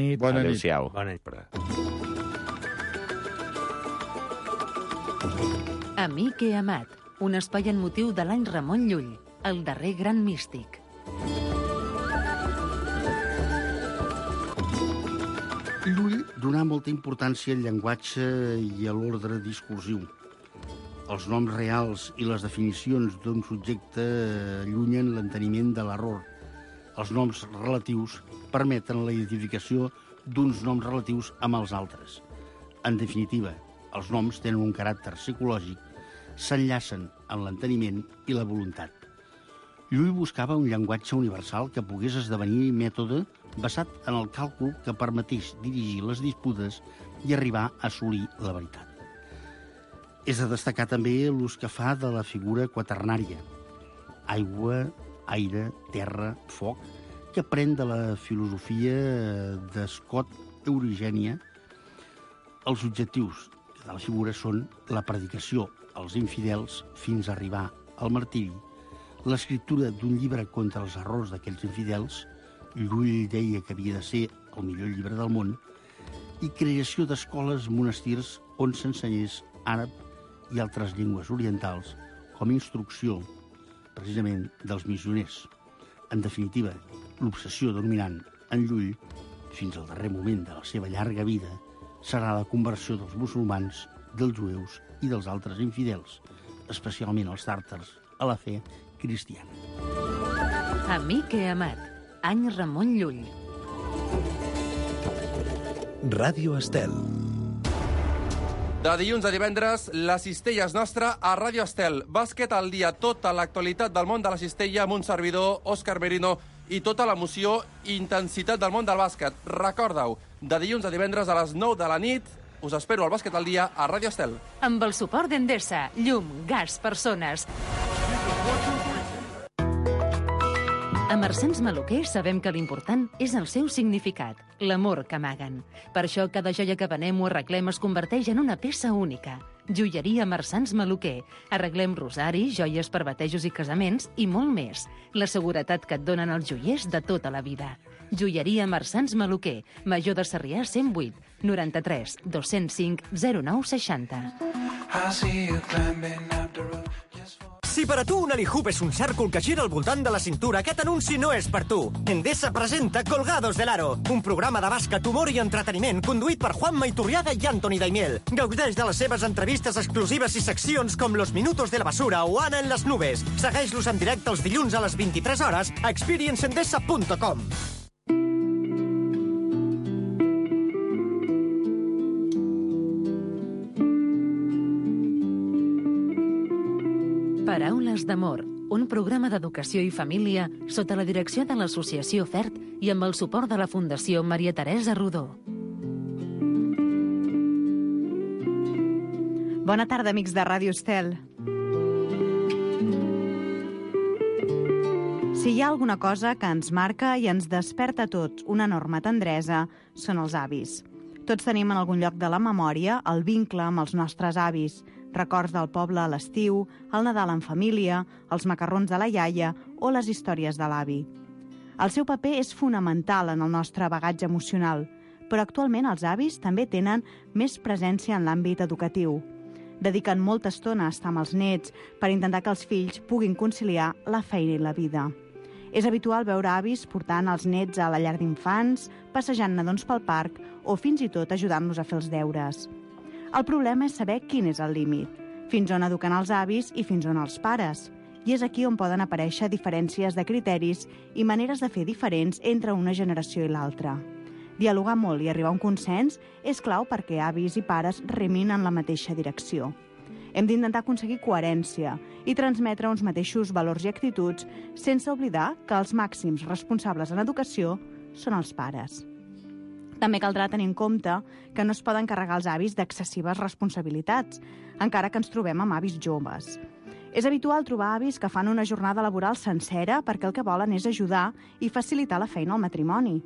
nit. Bona nit. Adéu-siau. Bona nit. Amic i amat, un espai en motiu de l'any Ramon Llull, el darrer gran místic. Llull donà molta importància al llenguatge i a l'ordre discursiu. Els noms reals i les definicions d'un subjecte allunyen l'enteniment de l'error. Els noms relatius permeten la identificació d'uns noms relatius amb els altres. En definitiva, els noms tenen un caràcter psicològic, s'enllacen en l'enteniment i la voluntat. Llull buscava un llenguatge universal que pogués esdevenir mètode basat en el càlcul que permetés dirigir les disputes i arribar a assolir la veritat. És de destacar també l'ús que fa de la figura quaternària. Aigua, aire, terra, foc, que pren de la filosofia de Scott Eurigènia. Els objectius de la figura són la predicació als infidels fins a arribar al martiri, l'escriptura d'un llibre contra els errors d'aquells infidels, Llull deia que havia de ser el millor llibre del món, i creació d'escoles, monestirs on s'ensenyés àrab i altres llengües orientals com a instrucció, precisament, dels missioners. En definitiva, l'obsessió dominant en Llull, fins al darrer moment de la seva llarga vida, serà la conversió dels musulmans, dels jueus i dels altres infidels, especialment els tàrtars, a la fe cristiana. Amic i amat, any Ramon Llull. Ràdio Estel. De dilluns a divendres, la cistella és nostra a Ràdio Estel. Bàsquet al dia, tota l'actualitat del món de la cistella amb un servidor, Òscar Merino, i tota l'emoció i intensitat del món del bàsquet. Recorda-ho, de dilluns a divendres a les 9 de la nit, us espero al Bàsquet al dia a Ràdio Estel. Amb el suport d'Endesa, llum, gas, persones. A Marsans Maluquer sabem que l'important és el seu significat, l'amor que amaguen. Per això cada joia que venem o arreglem es converteix en una peça única. Joieria Marsans Maluquer. Arreglem rosaris, joies per batejos i casaments i molt més. La seguretat que et donen els joiers de tota la vida. Joieria Marsans Maluquer. Major de Sarrià 108 93 205 09 60. Si per a tu un Alihoop és un cèrcol que gira al voltant de la cintura, aquest anunci no és per tu. Endesa presenta Colgados del Aro, un programa de bàsquet, humor i entreteniment conduït per Juanma Iturriaga i Antoni Daimiel. Gaudeix de les seves entrevistes exclusives i seccions com Los Minutos de la Basura o Ana en les Nubes. Segueix-los en directe els dilluns a les 23 hores a experiencendesa.com. Paraules d'amor, un programa d'educació i família sota la direcció de l'Associació FERT i amb el suport de la Fundació Maria Teresa Rodó. Bona tarda, amics de Ràdio Estel. Si hi ha alguna cosa que ens marca i ens desperta a tots una enorme tendresa, són els avis. Tots tenim en algun lloc de la memòria el vincle amb els nostres avis, records del poble a l'estiu, el Nadal en família, els macarrons de la iaia o les històries de l'avi. El seu paper és fonamental en el nostre bagatge emocional, però actualment els avis també tenen més presència en l'àmbit educatiu. Dediquen molta estona a estar amb els nets per intentar que els fills puguin conciliar la feina i la vida. És habitual veure avis portant els nets a la llar d'infants, passejant nadons pel parc o fins i tot ajudant-los a fer els deures. El problema és saber quin és el límit, fins on eduquen els avis i fins on els pares. I és aquí on poden aparèixer diferències de criteris i maneres de fer diferents entre una generació i l'altra. Dialogar molt i arribar a un consens és clau perquè avis i pares remin en la mateixa direcció. Hem d'intentar aconseguir coherència i transmetre uns mateixos valors i actituds sense oblidar que els màxims responsables en educació són els pares. També caldrà tenir en compte que no es poden carregar els avis d'excessives responsabilitats, encara que ens trobem amb avis joves. És habitual trobar avis que fan una jornada laboral sencera perquè el que volen és ajudar i facilitar la feina al matrimoni.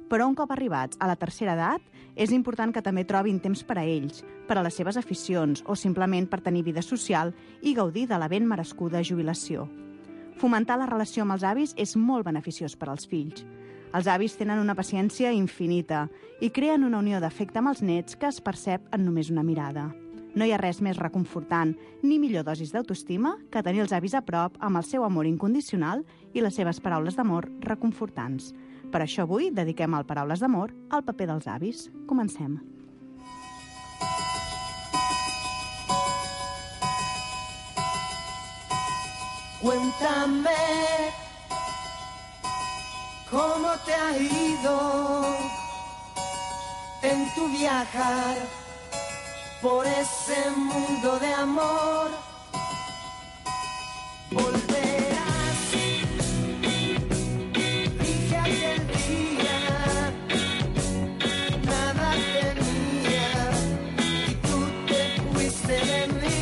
Però un cop arribats a la tercera edat, és important que també trobin temps per a ells, per a les seves aficions o simplement per tenir vida social i gaudir de la ben merescuda jubilació. Fomentar la relació amb els avis és molt beneficiós per als fills. Els avis tenen una paciència infinita i creen una unió d'afecte amb els nets que es percep en només una mirada. No hi ha res més reconfortant ni millor dosis d'autoestima que tenir els avis a prop amb el seu amor incondicional i les seves paraules d'amor reconfortants. Per això avui dediquem al Paraules d'Amor al paper dels avis. Comencem. Cuéntame cómo te ha ido en tu viajar por ese mundo de amor. Volverás, dije aquel día, nada tenía y tú te fuiste de mí.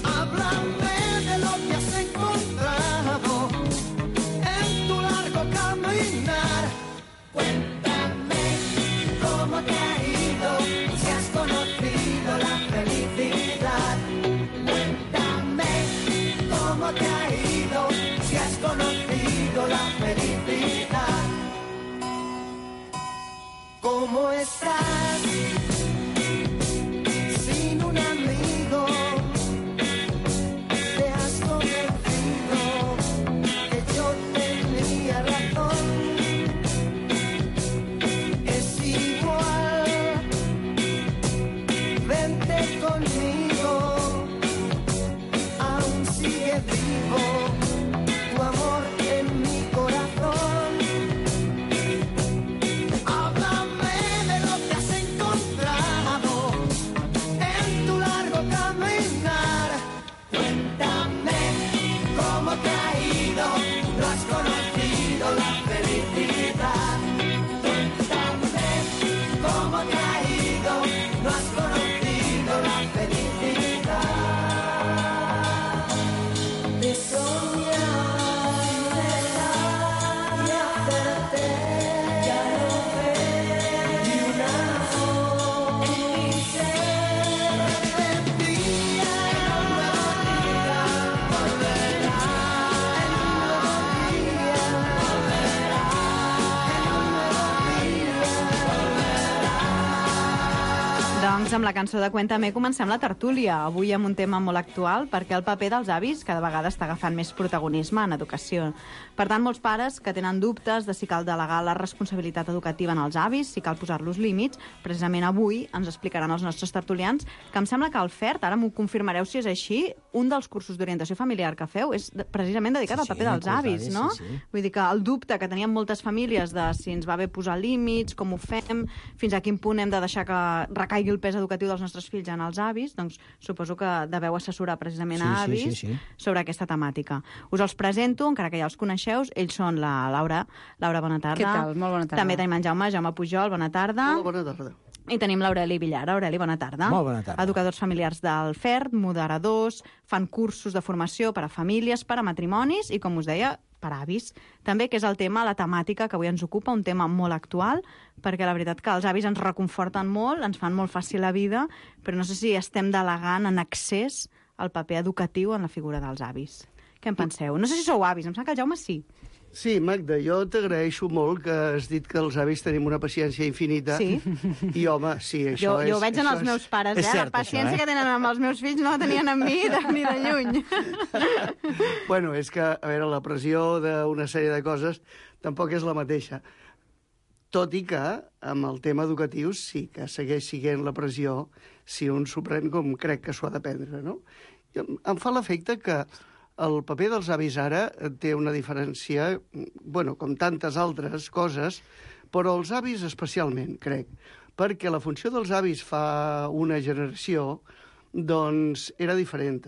Háblame de lo que has encontrado en tu largo caminar. Cuéntame cómo te ha ido, si has conocido la felicidad. Cuéntame cómo te ha ido, si has conocido la felicidad. ¿Cómo estás sin un amigo? Te has convencido que yo tenía razón. Es igual, vente conmigo, aún sigue vivo tu amor en mi corazón. Háblame de lo que has encontrado en tu largo caminar. Cuéntame cómo te ha ido, no has conocido la felicidad. Cuéntame cómo te ha ido, no has conocido la felicidad. De soñar y hacerte ya no ver ni una voz en mi ser. Repetía en un nuevo día, volverá en un nuevo día, volverá en un nuevo día, volverá. Doncs amb la cançó de Cuéntame comencem la tertúlia, avui amb un tema molt actual perquè el paper dels avis cada vegada està agafant més protagonisme en educació. Per tant, molts pares que tenen dubtes de si cal delegar la responsabilitat educativa en els avis, si cal posar-los límits, precisament avui ens explicaran els nostres tertulians que em sembla que el FERT, ara m'ho confirmareu si és així, un dels cursos d'orientació familiar que feu és precisament dedicat al paper dels avis, no? Vull dir que el dubte que tenien moltes famílies de si ens va bé posar límits, com ho fem, fins a quin punt hem de deixar que recaigui el pes educatiu dels nostres fills en els avis, doncs suposo que deveu assessorar precisament a avis sobre aquesta temàtica. Us els presento, encara que ja els coneixeu, ells són la Laura. Laura, bona tarda. Què tal? Molt bona tarda. També tenim en Jaume Pujol, bona tarda. Hola, bona tarda. I tenim l'Aureli Villar. Aureli, bona tarda. Molt bona tarda. Educadors familiars del FERT, moderadors, fan cursos de formació per a famílies, per a matrimonis i, com us deia, per a avis. També, que és el tema, la temàtica que avui ens ocupa, un tema molt actual, perquè la veritat que els avis ens reconforten molt, ens fan molt fàcil la vida, però no sé si estem delegant en excés el paper educatiu en la figura dels avis. Què en penseu? No sé si sou avis, em sembla que el Jaume sí. Sí, Magda, jo t'agraeixo molt que has dit que els avis tenim una paciència infinita. Sí. I, home, sí, això és... Jo ho veig en els meus pares, és cert, la paciència això, que tenen amb els meus fills no la tenien amb mi ni de lluny. Bueno, és que, a veure, la pressió d'una sèrie de coses tampoc és la mateixa. Tot i que, amb el tema educatiu, sí que segueix sent la pressió si un s'ho pren com crec que s'ho ha de prendre, no? Em fa l'efecte que el paper dels avis ara té una diferència, bueno, com tantes altres coses, però els avis especialment, crec, perquè la funció dels avis fa una generació, doncs, era diferent.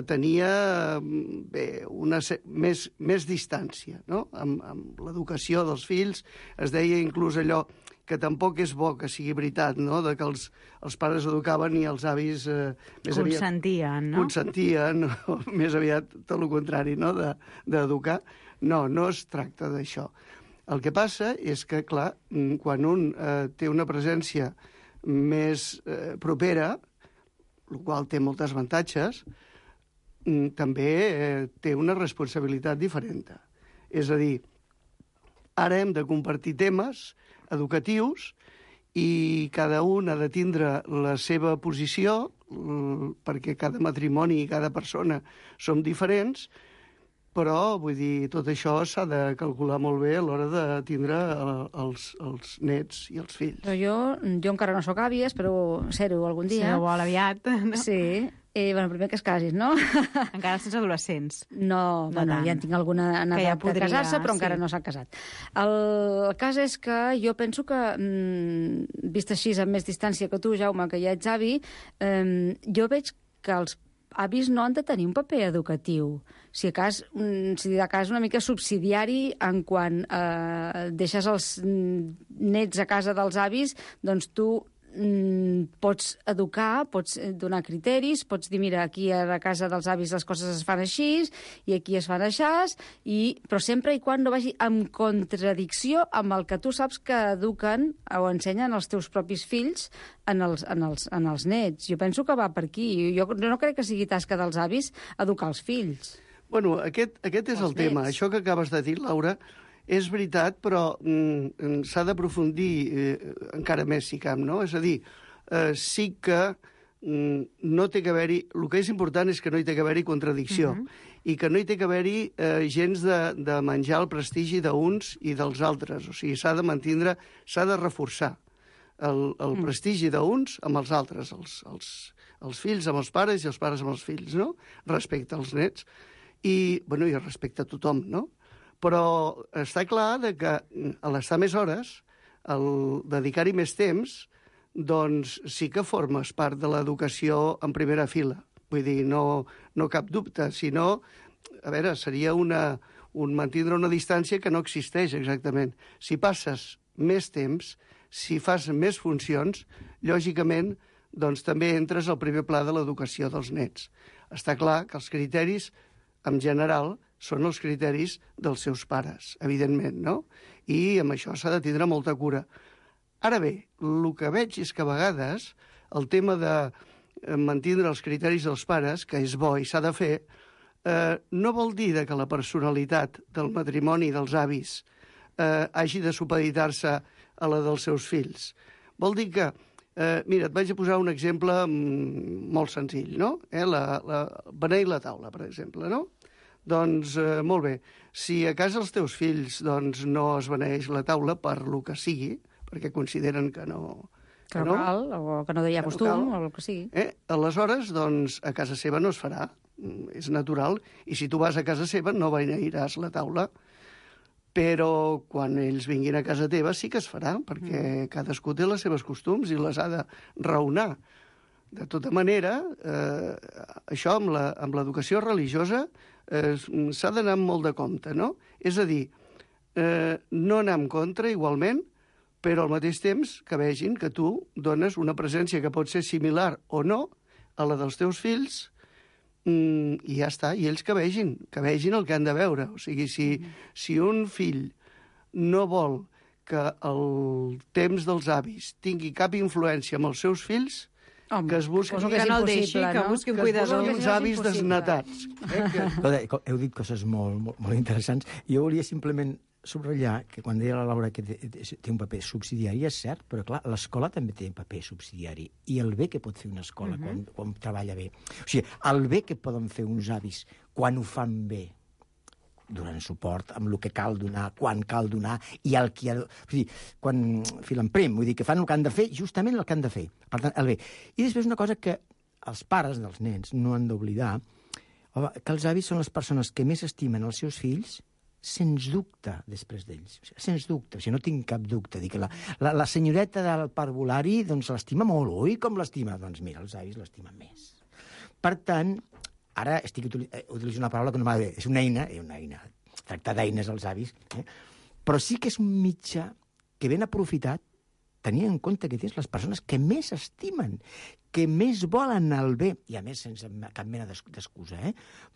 Tenia més distància, no? Amb l'educació dels fills es deia inclús allò que tampoc és bo que sigui veritat, no?, de que els pares educaven i els avis més aviat... Consentien, no? Consentien, més aviat tot el contrari, no?, d'educar. No, no es tracta d'això. El que passa és que, clar, quan un té una presència més propera, el qual té molts avantatges, també té una responsabilitat diferent. És a dir, ara hem de compartir temes educatius i cada un ha de tindre la seva posició, perquè cada matrimoni i cada persona som diferents, però, vull dir, tot això s'ha de calcular molt bé a l'hora de tindre els nets i els fills. Però jo encara no sóc àvia, espero ser-ho algun dia. Si no vol aviat, no? Sí. Bueno, primer que es casis, no? Encara sents adolescents. No, bueno, ja en tinc alguna en Que ja edat de podria, casar-se, però encara sí. no s'ha casat. El cas és que jo penso que, vist així amb més distància que tu, Jaume, que ja ets avi, jo veig que els avis no han de tenir un paper educatiu. Si de cas una mica subsidiari en quan deixes els nets a casa dels avis, doncs tu pots educar, pots donar criteris, pots dir, mira, aquí a casa dels avis les coses es fan així i aquí es fan així, però sempre i quan no vagi en contradicció amb el que tu saps que eduquen o ensenyen els teus propis fills en els nets. Jo penso que va per aquí. Jo no crec que sigui tasca dels avis educar els fills. Bueno, aquest és el tema. Això que acabes de dir, Laura, és veritat, però s'ha d'aprofundir encara més, si cap, no? És a dir, sí que no té que haver-hi... El que és important és que no hi té que haver-hi contradicció i que no hi té que haver-hi gens de menjar el prestigi d'uns i dels altres. O sigui, s'ha de mantindre, s'ha de reforçar el prestigi d'uns amb els altres, els fills amb els pares i els pares amb els fills, no? Respecte als nets i respecte a tothom, no? Però està clar que a l'estar més hores, el dedicar-hi més temps, doncs sí que formes part de l'educació en primera fila. Vull dir, no cap dubte, sinó, a veure, seria mantindre una distància que no existeix exactament. Si passes més temps, si fas més funcions, lògicament, doncs també entres al primer pla de l'educació dels nets. Està clar que els criteris, en general, són els criteris dels seus pares, evidentment, no? I amb això s'ha de tindre molta cura. Ara bé, el que veig és que a vegades el tema de mantindre els criteris dels pares, que és bo i s'ha de fer, no vol dir que la personalitat del matrimoni dels avis hagi de supeditar-se a la dels seus fills. Vol dir que, mira, et vaig a posar un exemple molt senzill, no? Beneir la taula, per exemple, no? Doncs, molt bé, si a casa els teus fills no es beneeix la taula per lo que sigui, perquè consideren que no... Que no cal, o que no hi ha costum, o el que sigui. Aleshores, doncs, a casa seva no es farà, és natural, i si tu vas a casa seva no beneiràs la taula, però quan ells vinguin a casa teva sí que es farà, perquè cadascú té les seves costums i les ha de raonar. De tota manera, això amb l'educació religiosa s'ha d'anar amb molt de compte, no? És a dir, no anar en contra igualment, però al mateix temps que vegin que tu dones una presència que pot ser similar o no a la dels teus fills i ja està, i ells que vegin el que han de veure. O sigui, si un fill no vol que el temps dels avis tingui cap influència amb els seus fills, que es busqui... Que no el deixi, que busqui un cuidador. Que es busqui uns avis desnatats. Heu dit coses molt interessants. Jo volia simplement subratllar que quan deia la Laura que té un paper subsidiari, és cert, però clar, l'escola també té un paper subsidiari. I el bé que pot fer una escola quan treballa bé. O sigui, el bé que poden fer uns avis quan ho fan bé, donant suport amb el que cal donar, quan cal donar, i el que... O sigui, quan filen prim, vull dir que fan el que han de fer, justament el que han de fer. Per tant, el bé. I després una cosa que els pares dels nens no han d'oblidar, que els avis són les persones que més estimen els seus fills, sens dubte, després d'ells. O sigui, sens dubte, o sigui, no tinc cap dubte. Dic que la senyoreta del parvulari doncs l'estima molt, oi? Com l'estima? Doncs mira, els avis l'estimen més. Per tant, ara estic utilitzant una paraula que no m'agrada bé. És una eina, tractar d'eines als avis, però sí que és un mitjà que ben aprofitat, tenint en compte que tens les persones que més estimen, que més volen el bé, i a més sense cap mena d'excusa,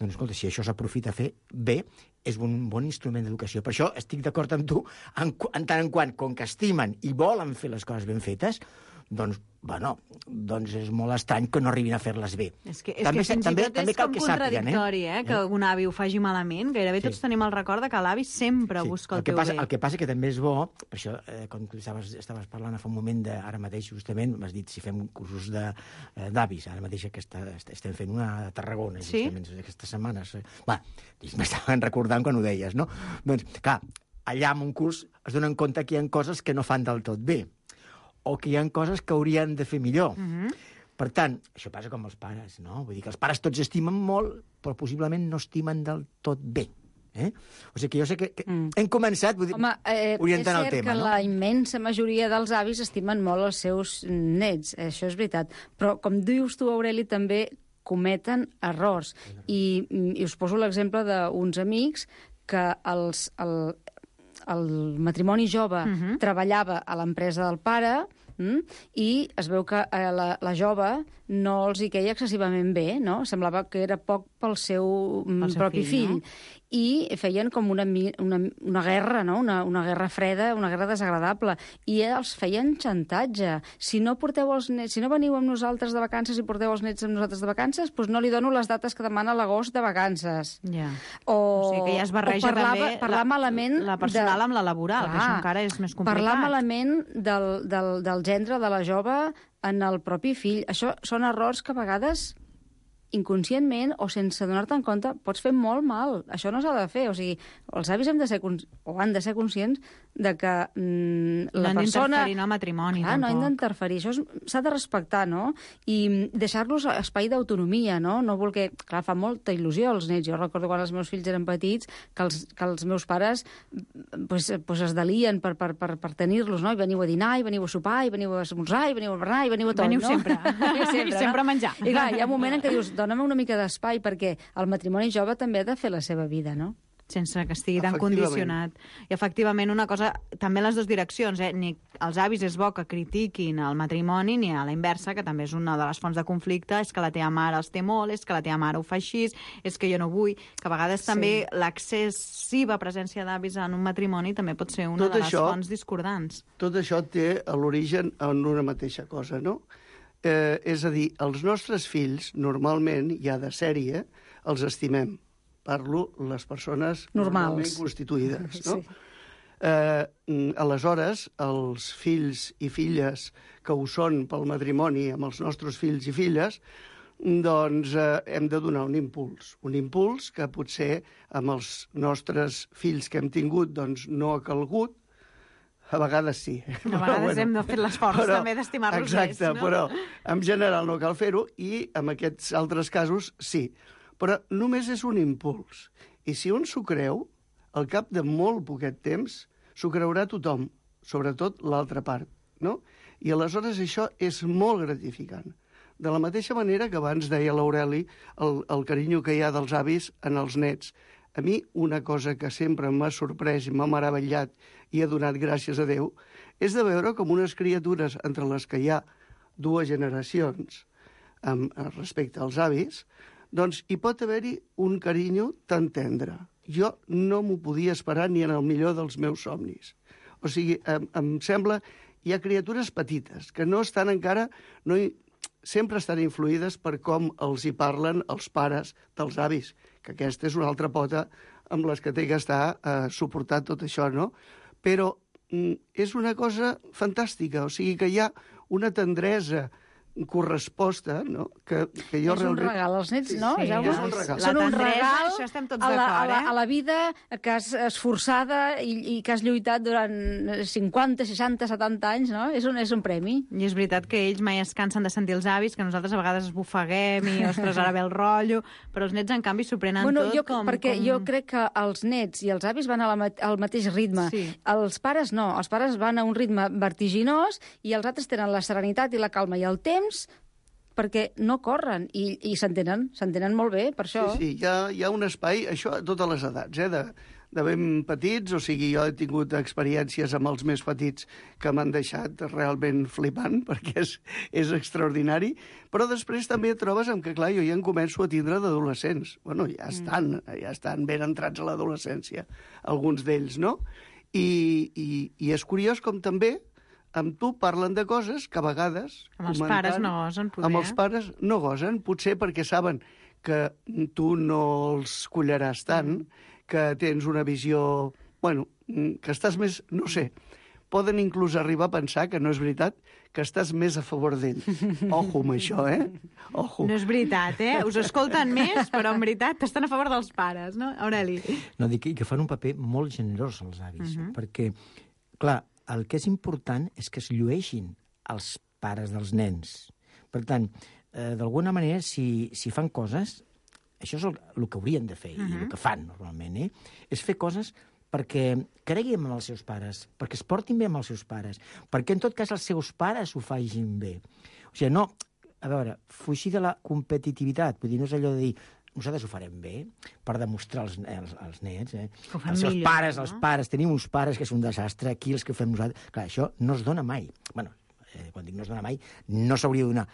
Doncs, escolta, si això s'aprofita a fer bé, és un bon instrument d'educació. Per això estic d'acord amb tu, en tant en quant, com que estimen i volen fer les coses ben fetes, doncs bueno, doncs és molt estrany que no arribin a fer-les bé. És que fins i tot és com contradictori, que un avi ho faci malament. Gairebé tots tenim el record que l'avi sempre busca el teu bé. El que passa que també és bo, per això, com tu estaves parlant fa un moment, ara mateix justament, m'has dit si fem cursos d'avis, ara mateix que estem fent una a Tarragona, justament aquestes setmanes. M'estaven recordant quan ho deies, no? Doncs, clar, allà en un curs es donen compte que hi ha coses que no fan del tot bé, o que hi ha coses que haurien de fer millor. Per tant, això passa com els pares, no? Vull dir que els pares tots estimen molt, però possiblement no estimen del tot bé. O sigui que jo sé que hem començat orientant el tema. És cert que la immensa majoria dels avis estimen molt els seus nets, això és veritat. Però, com dius tu, Aureli, també cometen errors. I us poso l'exemple d'uns amics que el matrimoni jove treballava a l'empresa del pare i es veu que la jove no els hi queia excessivament bé, no? Semblava que era poc pel seu propi fill. I feien com una guerra, no? Una guerra freda, una guerra desagradable. I els feien xantatge. Si no porteu els nets, si no veniu amb nosaltres de vacances i porteu els nets amb nosaltres de vacances, doncs no li dono les dates que demana l'agost de vacances. O sigui que ja es barreja també parlar malament la personal amb la laboral, que això encara és més complicat. Parlar malament del gendre de la jove en el propi fill. Això són errors que a vegades inconscientment o sense donar-te en compte pots fer molt mal. Això no s'ha de fer. O sigui, els avis han de ser conscients de que la persona... No han d'interferir en el matrimoni, tampoc. No han d'interferir. Això s'ha de respectar, no? I deixar-los espai d'autonomia, no? No voler... Clar, fa molta il·lusió als nets. Jo recordo quan els meus fills eren petits que els meus pares es delien per tenir-los, no? I veniu a dinar, i veniu a sopar, i veniu a esmorzar, i veniu a berenar, i veniu a tot, no? Sempre, I sempre a menjar. I clar, hi ha un moment en què dius, dóna'm una mica d'espai, perquè el matrimoni jove també ha de fer la seva vida, no? Sense que estigui tan condicionat. I efectivament una cosa, també en les dues direccions, ni els avis és bo que critiquin el matrimoni, ni a la inversa, que també és una de les fonts de conflicte, és que la teva mare els té molt, és que la teva mare ho fa així, és que jo no vull, que a vegades també l'excessiva presència d'avis en un matrimoni també pot ser una de les fonts discordants. Tot això té l'origen en una mateixa cosa, no? És a dir, els nostres fills, normalment, ja de sèrie, els estimem. Parlo les persones normalment constituïdes, no? Aleshores, els fills i filles que ho són pel matrimoni amb els nostres fills i filles, doncs hem de donar un impuls que potser amb els nostres fills que hem tingut doncs no ha calgut. A vegades sí. A vegades hem de fer l'esforç també d'estimar-los més, no? Exacte, però en general no cal fer-ho i en aquests altres casos sí. Però només és un impuls. I si un s'ho creu, al cap de molt poquet temps, s'ho creurà tothom, sobretot l'altra part, no? I aleshores això és molt gratificant. De la mateixa manera que abans deia l'Aureli el carinyo que hi ha dels avis en els nets. A mi una cosa que sempre m'ha sorprès i m'ha meravellat i ha donat gràcies a Déu és de veure com unes criatures entre les que hi ha dues generacions respecte als avis, doncs hi pot haver-hi un carinyo tan tendre. Jo no m'ho podia esperar ni en el millor dels meus somnis. O sigui, em sembla, hi ha criatures petites que no estan encara, sempre estan influïdes per com els hi parlen els pares dels avis, que aquesta és una altra pota amb les que té que estar suportant tot això, no? Però és una cosa fantàstica, o sigui que hi ha una tendresa corresposta, no? Que jo és un regal als nets, no? Sí, Jaume? és un regal. Són un regal això estem tots d'acord, a la vida que has esforçada i que has lluitat durant 50, 60, 70 anys, no? És un premi. I és veritat que ells mai es cansen de sentir els avis, que nosaltres a vegades esbufeguem i, ostres, ara ve el rotllo, però els nets, en canvi, s'ho prenen tot perquè jo crec que els nets i els avis van al mateix ritme. Sí. Els pares no. Els pares van a un ritme vertiginós i els altres tenen la serenitat i la calma i el temps perquè no corren i s'entenen molt bé, per això. Sí, hi ha un espai, això a totes les edats, de ben petits, o sigui, jo he tingut experiències amb els més petits que m'han deixat realment flipant, perquè és extraordinari, però després també et trobes amb que, clar, jo ja en començo a tindre d'adolescents. Bueno, ja estan ben entrats a l'adolescència, alguns d'ells, no? I és curiós com també amb tu parlen de coses que a vegades... Amb els pares no gosen, poder. Amb els pares no gosen, potser perquè saben que tu no els collaràs tant, que tens una visió... Bueno, que estàs més... No sé, poden inclús arribar a pensar que no és veritat, que estàs més a favor d'ells. Ojo amb això, Ojo. No és veritat, Us escolten més, però en veritat estan a favor dels pares, no, Aureli? No, dic que fan un paper molt generós, els avis, perquè, clar, el que és important és que es llueixin els pares dels nens. Per tant, d'alguna manera, si fan coses, això és el que haurien de fer, i el que fan normalment, és fer coses perquè creguin en els seus pares, perquè es portin bé amb els seus pares, perquè en tot cas els seus pares ho facin bé. O sigui, no, a veure, fugir de la competitivitat, vull dir, no és allò de dir nosaltres ho farem bé per demostrar als nets, els seus pares, els pares, tenim uns pares que és un desastre, aquí els que fem nosaltres... Clar, això no es dona mai. Bueno, quan dic no es dona mai, no s'hauria de donar.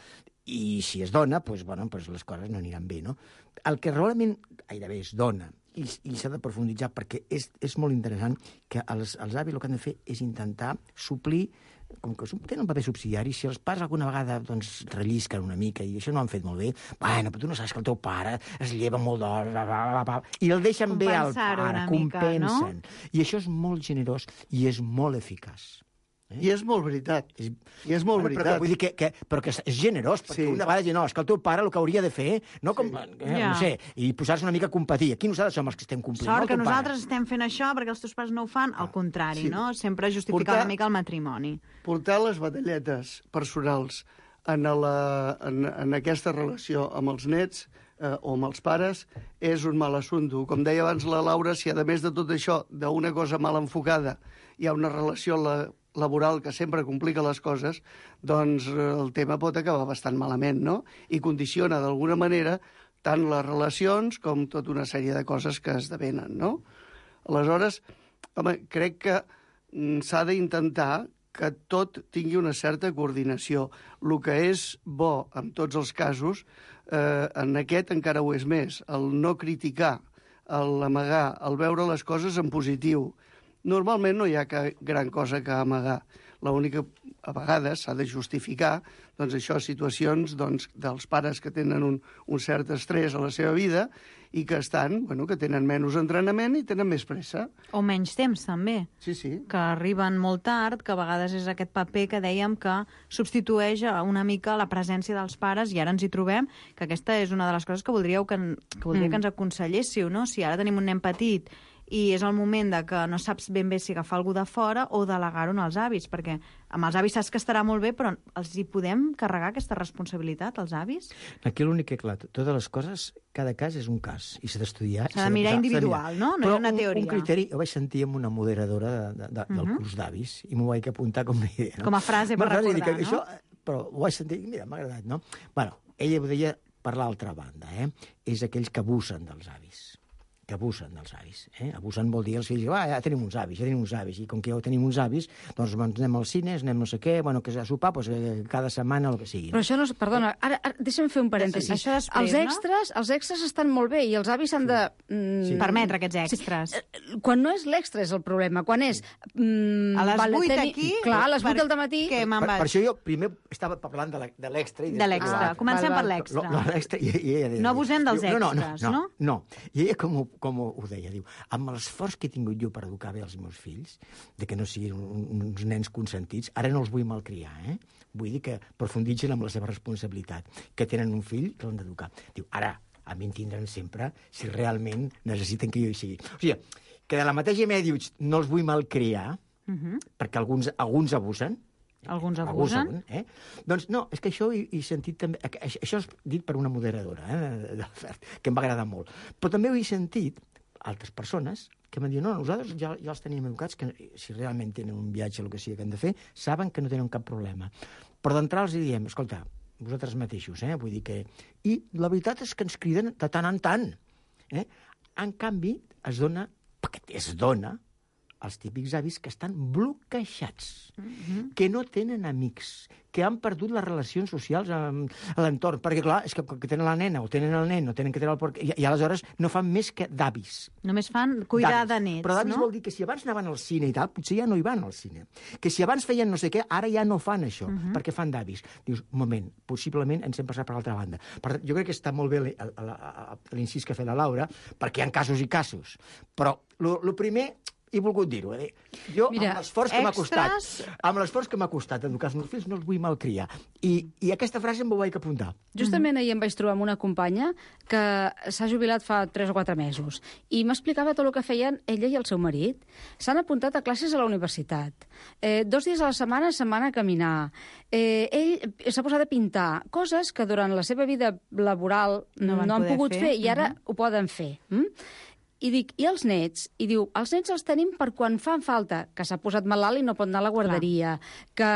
I si es dona, doncs les coses no aniran bé, no? El que realment gairebé es dona, i s'ha de profunditzar, perquè és molt interessant que els avis el que han de fer és intentar suplir, com que tenen un paper subsidiari, si els pares alguna vegada rellisquen una mica i això no ho han fet molt bé, bueno, però tu no saps que el teu pare es lleva molt d'hora, i el deixen bé al pare, compensen. I això és molt generós i és molt eficaç. I és molt veritat. I és molt veritat. Però vull dir però que és generós, perquè una vegada dir, no, és que el teu pare el que hauria de fer, no sé, i posar-se una mica a competir. Aquí nosaltres som els que estem complint. Sort que nosaltres estem fent això perquè els teus pares no ho fan, al contrari, no? Sempre justificar una mica el matrimoni. Portar les batalletes personals en aquesta relació amb els nets o amb els pares és un mal assumpte. Com deia abans la Laura, si a més de tot això, d'una cosa mal enfocada, hi ha una relació laboral que sempre complica les coses, doncs el tema pot acabar bastant malament, no? I condiciona d'alguna manera tant les relacions com tota una sèrie de coses que esdevenen, no? Aleshores, home, crec que s'ha d'intentar que tot tingui una certa coordinació. El que és bo en tots els casos, en aquest encara ho és més, el no criticar, l'amagar, el veure les coses en positiu. Normalment no hi ha gran cosa que amagar. L'única, a vegades, s'ha de justificar situacions dels pares que tenen un cert estrès a la seva vida i que que tenen menys entrenament i tenen més pressa. O menys temps, també. Sí. Que arriben molt tard, que a vegades és aquest paper que dèiem que substitueix una mica la presència dels pares, i ara ens hi trobem, que aquesta és una de les coses que voldria que ens aconselléssiu, no? Si ara tenim un nen petit i és el moment de que no saps ben bé si agafar algú de fora o delegar-ho als avis, perquè amb els avis saps que estarà molt bé, però els hi podem carregar aquesta responsabilitat, als avis? Aquí l'únic que, clar, totes les coses, cada cas és un cas, i s'ha d'estudiar. S'ha de mirar individual, no? No és una teoria. Un criteri, ho vaig sentir amb una moderadora del curs d'avis, i m'ho vaig apuntar com a idea. Com a frase per recordar, no? Però ho vaig sentir, mira, m'ha agradat, no? Bueno, ella ho deia per l'altra banda, és aquells que abusen dels avis. Que abusen dels avis. Abusen vol dir els fills, ja tenim uns avis, i com que ja tenim uns avis, doncs anem al cine, anem no sé què, que a sopar, cada setmana el que sigui. Però això no és... Perdona, ara deixa'm fer un parèntesi. Això després, els extras estan molt bé i els avis s'han de... permetre aquests extras. Quan no és l'extra és el problema, quan és... a les 8 aquí... Clar, a les 8 del dematí... Per això jo primer estava parlant de l'extra. De l'extra. Comencem per l'extra. No abusem dels extras, no? No. I ella com ho deia, diu, amb l'esforç que he tingut jo per educar bé els meus fills, de que no siguin uns nens consentits, ara no els vull malcriar, vull dir que profunditzen amb la seva responsabilitat, que tenen un fill que l'han d'educar. Diu, ara, a mi em tindran sempre si realment necessiten que jo hi sigui. O sigui, que de la mateixa manera dius, no els vull malcriar, perquè alguns abusen, alguns abusen. Doncs no, és que això he sentit també... Això és dit per una moderadora de l'oferta, que em va agradar molt. Però també ho he sentit altres persones que m'han dit, no, nosaltres ja els tenim educats, que si realment tenen un viatge o el que sigui que han de fer, saben que no tenen cap problema. Però d'entrada els diem, escolta, vosaltres mateixos, vull dir que... I la veritat és que ens criden de tant en tant. En canvi, es dona els típics avis que estan bloquejats, que no tenen amics, que han perdut les relacions socials a l'entorn, perquè, clar, és que tenen la nena o tenen el nen o tenen que tenir el porc, i aleshores no fan més que d'avis. Només fan cuidar de nets, però d'avis no? vol dir que si abans anaven al cine i tal, potser ja no hi van al cine. Que si abans feien no sé què, ara ja no fan això, perquè fan d'avis. Dius, un moment, possiblement ens hem passat per l'altra banda. Per tant, jo crec que està molt bé l'incís que ha fet la Laura, perquè hi ha casos i casos. Però el primer he volgut dir-ho. Jo, Mira, amb l'esforç que m'ha costat educar els meus fills, no els vull malcriar. I aquesta frase em ho vaig apuntar. Justament ahir em vaig trobar amb una companya que s'ha jubilat fa 3 o 4 mesos i m'explicava tot el que feien ella i el seu marit. S'han apuntat a classes a la universitat. 2 dies a la setmana se'n van a caminar. Ell s'ha posat a pintar coses que durant la seva vida laboral no han pogut fer i ara ho poden fer. I dic, i els nets? I diu, els nets els tenim per quan fan falta, que s'ha posat malalt i no pot anar a la guarderia, que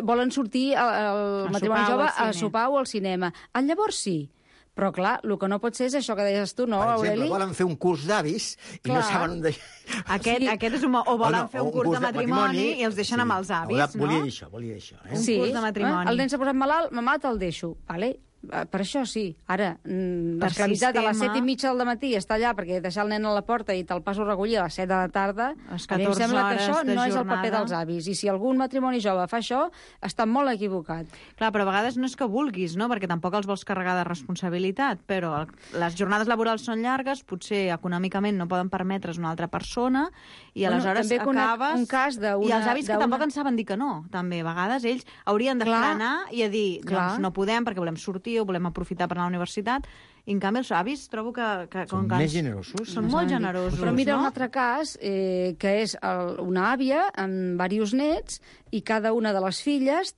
volen sortir al matrimoni jove a sopar o al cinema. Llavors sí. Però, clar, el que no pot ser és això que deies tu, no, Aureli? Per exemple, volen fer un curs d'avis i no saben on deixar... Aquest és un... O volen fer un curs de matrimoni i els deixen amb els avis, no? Volia dir això. Un curs de matrimoni. El nen s'ha posat malalt, mamà, te'l deixo. Vale? Per això sí. Ara, l'esclavitat a les 7:30 del matí està allà perquè deixar el nen a la porta i te'l passo a recollir a les 7 de la tarda, a mi em sembla que això no és el paper dels avis. I si algun matrimoni jove fa això, està molt equivocat. Clar, però a vegades no és que vulguis, no? Perquè tampoc els vols carregar de responsabilitat, però les jornades laborals són llargues, potser econòmicament no poden permetre's una altra persona, i aleshores acabes... Un cas I els avis que tampoc en saben dir que no, també. A vegades ells haurien de frenar i a dir, doncs no podem perquè volem sortir o volem aprofitar per anar a la universitat, i en canvi els avis trobo que són més generosos. Són molt generosos, però mira no? un altre cas, que és una àvia amb diversos nets, i cada una de les filles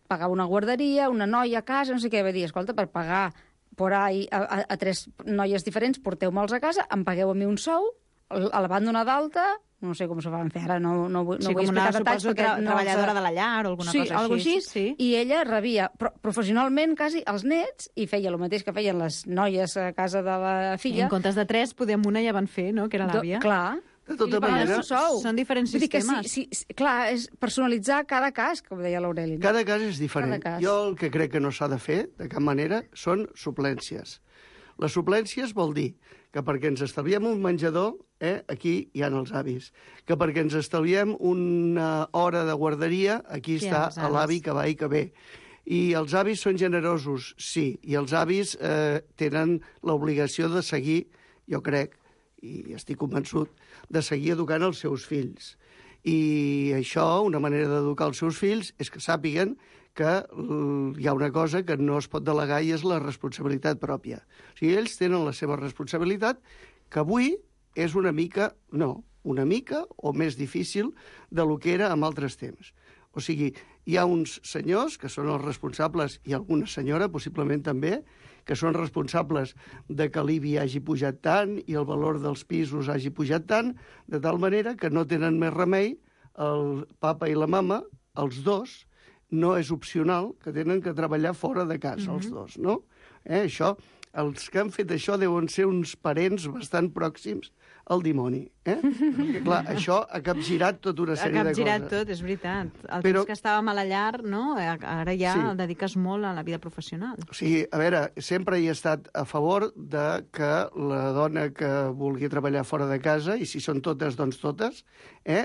pagava una guarderia, una noia a casa, no sé què, va dir, escolta, per pagar por ahí a 3 noies diferents, porteu-me'ls a casa, em pagueu a mi un sou, la van donar d'alta, no sé com s'ho van fer ara, no vull explicar detalls. Sí, com una treballadora de la llar o alguna cosa així. Sí, i ella rebia professionalment quasi els nets i feia el mateix que feien les noies a casa de la filla. I en comptes de 3, podem una ja van fer, no?, que era l'àvia. Clar. De tota manera, són diferents sistemes. Clar, és personalitzar cada cas, com deia l'Aureli. Cada cas és diferent. Jo el que crec que no s'ha de fer, de cap manera, són suplències. Les suplències vol dir que perquè ens estalviem un menjador, aquí hi ha els avis. Que perquè ens estalviem una hora de guarderia, aquí està l'avi que va i que ve. I els avis són generosos, sí, i els avis tenen l'obligació de seguir, jo crec, i estic convençut, de seguir educant els seus fills. I això, una manera d'educar els seus fills, és que sàpiguen que hi ha una cosa que no es pot delegar i és la responsabilitat pròpia. O sigui, ells tenen la seva responsabilitat, que avui és una mica o més difícil de lo que era en altres temps. O sigui, hi ha uns senyors que són els responsables, i alguna senyora, possiblement també, que són responsables de que l'IBI hagi pujat tant i el valor dels pisos hagi pujat tant, de tal manera que no tenen més remei, el papa i la mama, els dos, no és opcional, que tenen que treballar fora de casa, els dos, no? Això, els que han fet això deuen ser uns parents bastant pròxims al dimoni, Perquè, clar, això ha capgirat tota una sèrie de coses. Ha capgirat tot, és veritat. El temps que estàvem a la llar, no? Ara ja el dediques molt a la vida professional. O sigui, a veure, sempre he estat a favor de que la dona que vulgui treballar fora de casa, i si són totes, doncs totes,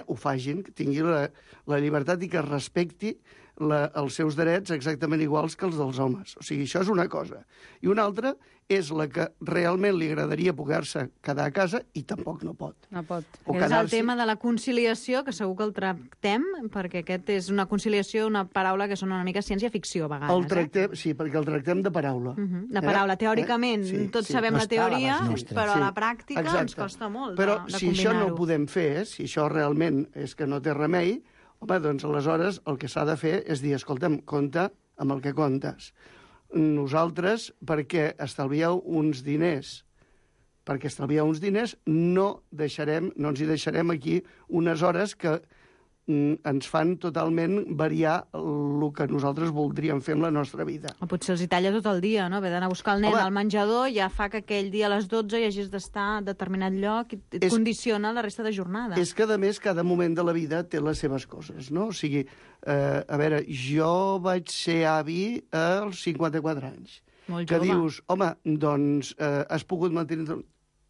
ho facin, que tingui la llibertat i que respecti els seus drets exactament iguals que els dels homes. O sigui, això és una cosa. I una altra és la que realment li agradaria poder-se quedar a casa i tampoc no pot. No pot. És el tema de la conciliació, que segur que el tractem, perquè aquest és una conciliació, una paraula que són una mica ciència-ficció a vegades. Sí, perquè el tractem de paraula. De paraula. Teòricament, tots sabem la teoria, però a la pràctica ens costa molt de combinar-ho. Però si això no ho podem fer, si això realment és que no té remei, home, doncs aleshores el que s'ha de fer és dir, escolta'm, compta amb el que comptes. Nosaltres, perquè estalvieu uns diners, no ens hi deixarem aquí unes hores que ens fan totalment variar el que nosaltres voldríem fer amb la nostra vida. O potser els hi talla tot el dia, no? Haver d'anar a buscar el nen Home, al menjador ja fa que aquell dia a les 12 hi hagis d'estar a determinat lloc i et condiciona la resta de jornada. És que, a més, cada moment de la vida té les seves coses, no? O sigui, a veure, jo vaig ser avi als 54 anys. Molt que jove. dius, home, doncs has pogut mantenir,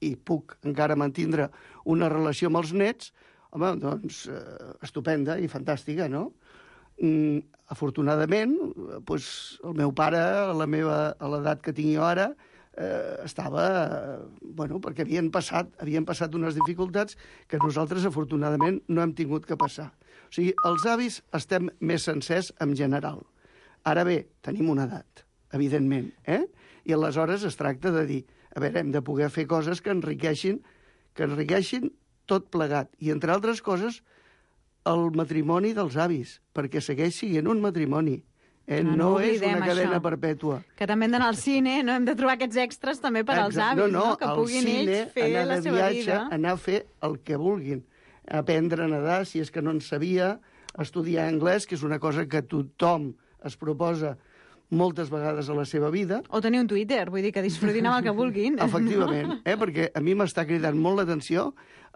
i puc encara mantenir una relació amb els nets, home, doncs, estupenda i fantàstica, no? Afortunadament, doncs, el meu pare, a l'edat que tinc jo ara, estava... Bueno, perquè havien passat unes dificultats que nosaltres, afortunadament, no hem tingut que passar. O sigui, els avis estem més sencers en general. Ara bé, tenim una edat, evidentment, I aleshores es tracta de dir, a veure, hem de poder fer coses que enriqueixin tot plegat. I, entre altres coses, el matrimoni dels avis, perquè segueix sent un matrimoni. No és una cadena perpètua. Que també hem d'anar al cine, no? Hem de trobar aquests extras també per als avis, no? Que puguin ells fer la seva vida. Anar a fer el que vulguin. Aprendre a nedar, si és que no en sabia, estudiar anglès, que és una cosa que tothom es proposa moltes vegades a la seva vida. O tenir un Twitter, vull dir que disfrutin amb el que vulguin. Efectivament, perquè a mi m'està cridant molt l'atenció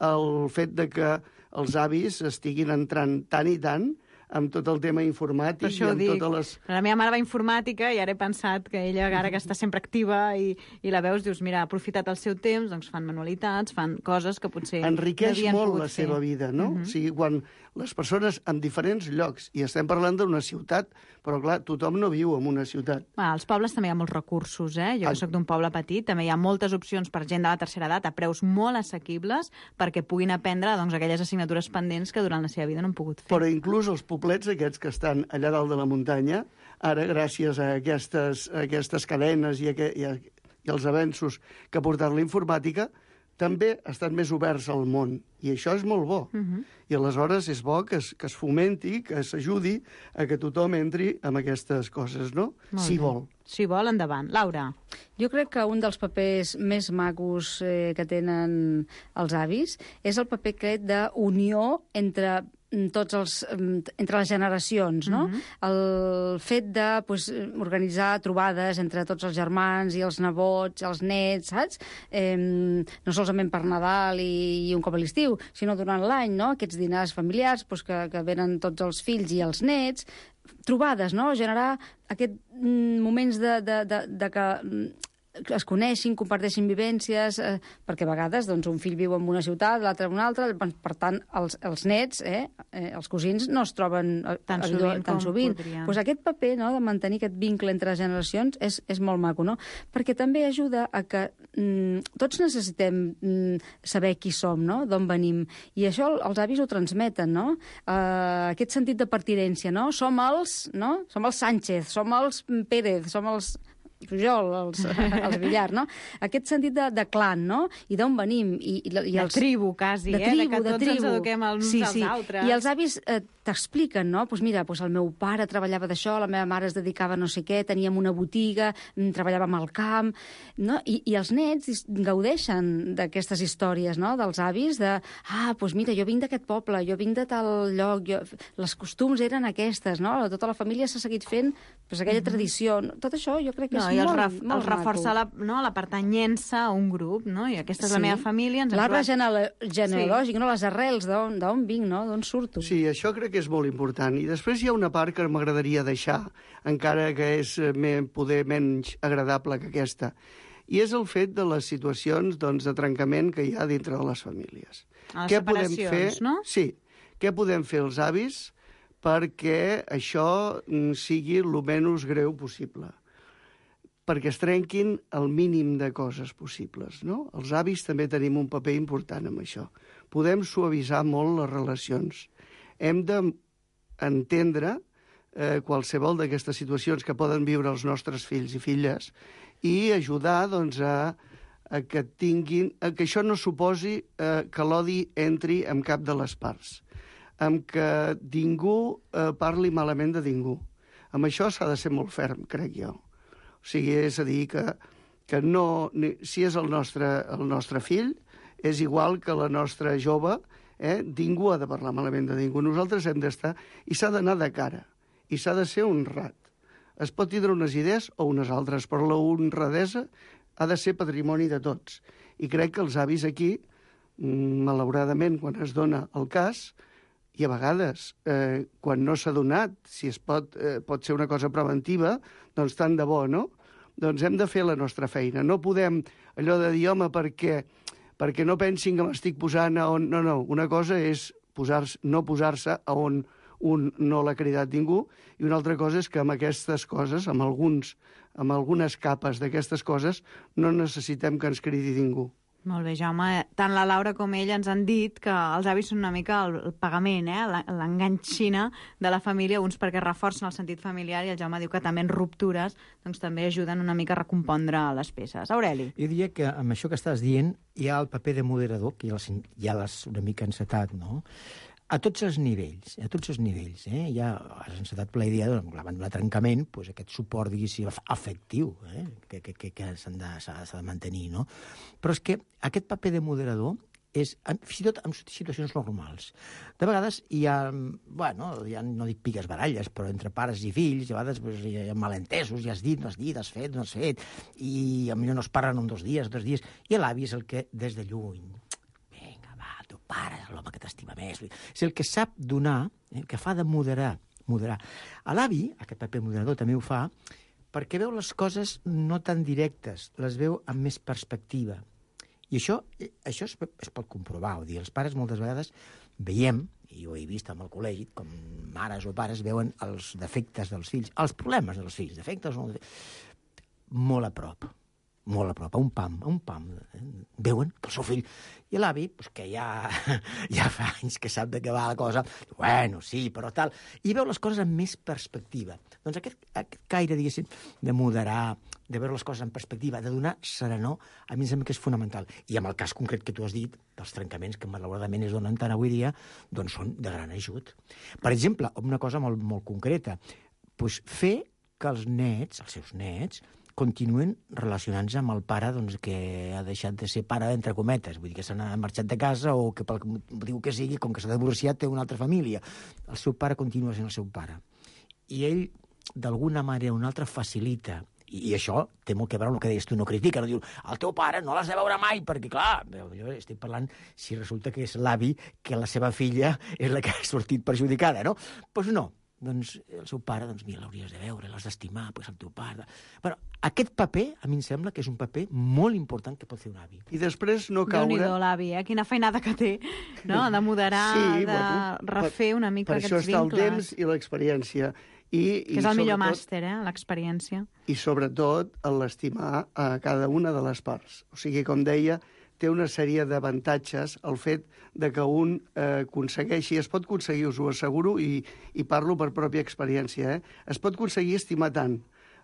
el fet de que els avis estiguin entrant tant i tant amb tot el tema informàtic i amb totes les... La meva mare va a informàtica i ara he pensat que ella, ara que està sempre activa i la veus, dius, mira, ha aprofitat el seu temps, doncs fan manualitats, fan coses que potser enriqueix molt la seva vida, no? O sigui, quan les persones en diferents llocs, i estem parlant d'una ciutat, però clar, tothom no viu en una ciutat. Als pobles també hi ha molts recursos, Jo soc d'un poble petit, també hi ha moltes opcions per gent de la tercera edat a preus molt assequibles perquè puguin aprendre doncs, aquelles assignatures pendents que durant la seva vida no han pogut fer. Però inclús els poblets aquests que estan allà dalt de la muntanya, ara, gràcies a aquestes cadenes i els avenços que ha portat la informàtica, també estan més oberts al món, i això és molt bo. I aleshores és bo que es fomenti, que s'ajudi a que tothom entri en aquestes coses, no? Si vol. Si vol, endavant. Laura. Jo crec que un dels papers més macos que tenen els avis és el paper aquest d'unió entre les generacions, no? El fet de organitzar trobades entre tots els germans i els nebots, els nets, saps? No solament per Nadal i un cop a l'estiu, sinó durant l'any, no? Aquests dinars familiars que venen tots els fills i els nets, trobades, no? Generar aquests moments de que es coneixin, comparteixin vivències, perquè a vegades un fill viu en una ciutat, l'altre en una altra, per tant, els nets, els cosins, no es troben tan sovint. Doncs aquest paper, no?, de mantenir aquest vincle entre generacions és molt maco, no? Perquè també ajuda a que tots necessitem saber qui som, no?, d'on venim. I això els avis ho transmeten, no? Aquest sentit de pertinença, no? Som els Sánchez, som els Pérez, som els Pujol, els Villar, no? Aquest sentit de clan, no? I d'on venim. De tribu, quasi, de tribu, que tots ens eduquem els uns als altres. I els avis t'expliquen, no? Doncs mira, el meu pare treballava d'això, la meva mare es dedicava a no sé què, teníem una botiga, treballàvem al camp, no? I els nets gaudeixen d'aquestes històries, no?, dels avis, doncs mira, jo vinc d'aquest poble, jo vinc de tal lloc, les costums eren aquestes, no? Tota la família s'ha seguit fent aquella tradició. Tot això jo crec que és molt reforçar la pertanyença a un grup, no? I aquesta és la meva família. L'arbre genealògic, no? Les arrels, d'on vinc, no? D'on surto. Sí, això crec que és molt important. I després hi ha una part que m'agradaria deixar, encara que és poder menys agradable que aquesta, i és el fet de les situacions de trencament que hi ha dintre de les famílies. Les separacions, no? Sí. Què podem fer els avis perquè això sigui el menys greu possible? Perquè es trenquin el mínim de coses possibles, no? Els avis també tenim un paper important en això. Podem suavitzar molt les relacions. Hem d'entendre qualsevol d'aquestes situacions que poden viure els nostres fills i filles i ajudar a que això no suposi que l'odi entri en cap de les parts, amb que ningú parli malament de ningú. Amb això s'ha de ser molt ferm, crec jo. O sigui, és a dir, que no, si és el nostre fill, és igual que la nostra jove, Ningú ha de parlar malament de ningú. Nosaltres hem d'estar... I s'ha d'anar de cara. I s'ha de ser honrat. Es pot tindre unes idees o unes altres, però la honradesa ha de ser patrimoni de tots. I crec que els avis aquí, malauradament, quan es dona el cas, i a vegades, quan no s'ha donat, si es pot ser una cosa preventiva, doncs tant de bo, no? Doncs hem de fer la nostra feina. No podem allò de dir, home, perquè no pensin que m'estic posant a on... No, una cosa és no posar-se a on un no l'ha cridat ningú, i una altra cosa és que amb aquestes coses, amb algunes capes d'aquestes coses, no necessitem que ens cridi ningú. Molt bé, Jaume. Tant la Laura com ella ens han dit que els avis són una mica el pagament, l'enganxina de la família, uns perquè reforcen el sentit familiar, i el Jaume diu que també en ruptures doncs també ajuden una mica a recompondre les peces. Aureli. Jo diria que amb això que estàs dient hi ha el paper de moderador, que ja l'has una mica encetat, no? A tots els nivells, ja has encetat per la idea, davant d'un trencament, doncs aquest suport, diguéssim, afectiu, que s'ha de mantenir, no? Però és que aquest paper de moderador és, fins i tot en situacions normals. De vegades hi ha, ja no dic piques baralles, però entre pares i fills, a vegades hi ha malentesos, ja has dit, no has dit, has fet, no has fet, i potser no es parlen en 2 dies, i l'avi és el que, des de lluny, pare, l'home que t'estima més. És el que sap donar, el que fa de moderar. A l'avi, aquest paper moderador també ho fa, perquè veu les coses no tan directes, les veu amb més perspectiva. I això es pot comprovar. Els pares moltes vegades veiem, i ho he vist amb el col·legi, com mares o pares veuen els defectes dels fills, els problemes dels fills, defectes o molt a prop, a un pam. Veuen que el seu fill... I l'avi, que ja fa anys que sap de què va la cosa, bueno, sí, però tal... I veu les coses amb més perspectiva. Doncs aquest caire, diguéssim, de moderar, de veure les coses en perspectiva, de donar serenor, a mi em sembla que és fonamental. I amb el cas concret que tu has dit, dels trencaments que malauradament es donen tant avui dia, doncs són de gran ajut. Per exemple, una cosa molt, molt concreta, fer que els seus nets, continuen relacionant-se amb el pare que ha deixat de ser pare, entre cometes, vull dir que s'ha marxat de casa o que pel motiu que sigui, com que s'ha divorciat, té una altra família. El seu pare continua sent el seu pare. I ell, d'alguna manera o una altra, facilita, i això té molt que veure amb el que deies tu, no critica, no diu, el teu pare no l'has de veure mai, perquè, clar, jo estic parlant si resulta que és l'avi, que la seva filla és la que ha sortit perjudicada, no? Doncs no. Doncs el seu pare, mira, l'hauries de veure, l'has d'estimar, el teu pare... Bueno, aquest paper, a mi em sembla que és un paper molt important que pot fer un avi. I després no caure... Déu-n'hi-do, l'avi, quina feinada que té, no? De moderar, sí, de refer una mica aquests vincles. Per això està el temps i l'experiència. Que és el millor màster, l'experiència. I sobretot l'estimar a cada una de les parts. O sigui, com deia, té una sèrie d'avantatges el fet de que un aconsegueixi, es pot aconseguir, us ho asseguro, i parlo per pròpia experiència, es pot aconseguir estimar tant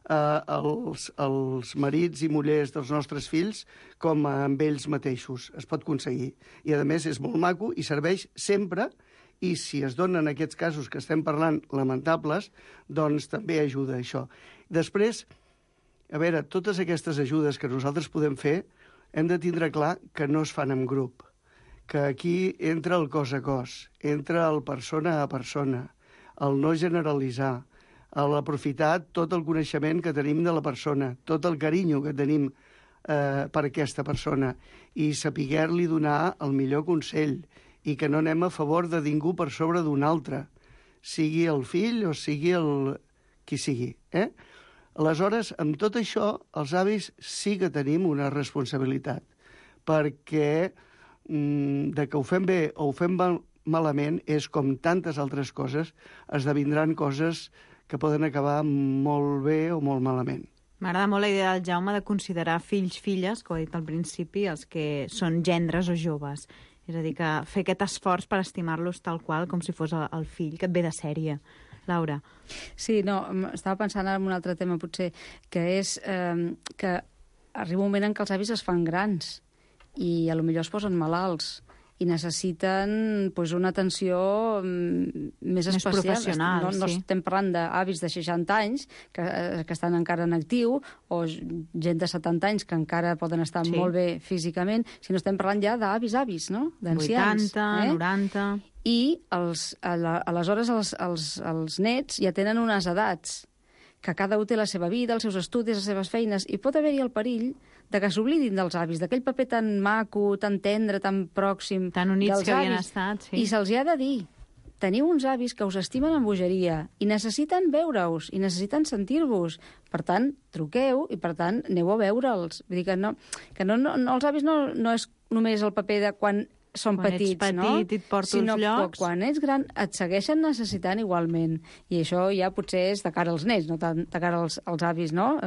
els marits i mullers dels nostres fills com amb ells mateixos. Es pot aconseguir. I, a més, és molt maco i serveix sempre, i si es donen aquests casos que estem parlant lamentables, doncs també ajuda això. Després, a veure, totes aquestes ajudes que nosaltres podem fer, hem de tindre clar que no es fan en grup, que aquí entra el cos a cos, entra el persona a persona, el no generalitzar, l'aprofitar tot el coneixement que tenim de la persona, tot el carinyo que tenim per aquesta persona, i saber-li donar el millor consell, i que no anem a favor de ningú per sobre d'un altre, sigui el fill o sigui qui sigui, Aleshores, amb tot això, els avis sí que tenim una responsabilitat, perquè de que ho fem bé o ho fem malament és com tantes altres coses, esdevindran coses que poden acabar molt bé o molt malament. M'agrada molt la idea del Jaume de considerar fills, filles, que ho he dit al principi, els que són gendres o joves. És a dir, que fer aquest esforç per estimar-los tal qual com si fos el fill que et ve de sèrie. Laura. Sí, no, estava pensant en un altre tema, potser, que és que arriba un moment en què els avis es fan grans i a lo millor es posen malalts i necessiten una atenció més especial. professional, no sí. estem parlant d'avis de 60 anys que estan encara en actiu, o gent de 70 anys que encara poden estar molt bé físicament, sinó estem parlant ja d'avis, no? D'ancians. 80, 90... I aleshores els nets ja tenen unes edats que cada un té la seva vida, els seus estudis, les seves feines, i pot haver-hi el perill de que s'oblidin dels avis, d'aquell paper tan maco, tan tendre, tan pròxim, tan units dels que havien avis. estat, sí. I se'ls ha de dir, teniu uns avis que us estimen amb bogeria i necessiten veure-us, i necessiten sentir-vos. Per tant, truqueu i, per tant, aneu a veure'ls. Vull dir que els avis no és només el paper de quan són petits, ets petit i et porto sinó als llocs. que quan ets gran et segueixen necessitant igualment. I això ja potser és de cara als nets, no tant de cara als avis, no?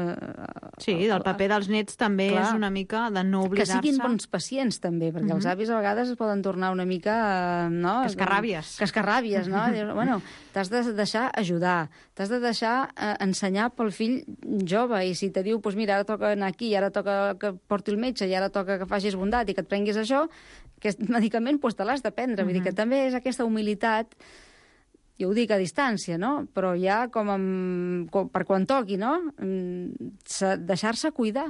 Sí, del paper dels nets també és una mica de no oblidar-se. Que siguin bons pacients, també, perquè els avis a vegades es poden tornar una mica... Cascarràbies, no? Dius, bueno, t'has de deixar ajudar, t'has de deixar ensenyar pel fill jove, i si te diu, doncs mira, ara toca anar aquí, ara toca que porti el metge, i ara toca que facis bondat i que et prenguis això, aquest medicament doncs te l'has de prendre. Vull dir que també és aquesta humilitat, jo ho dic a distància, no? Però ja per quan toqui, no? Deixar-se cuidar.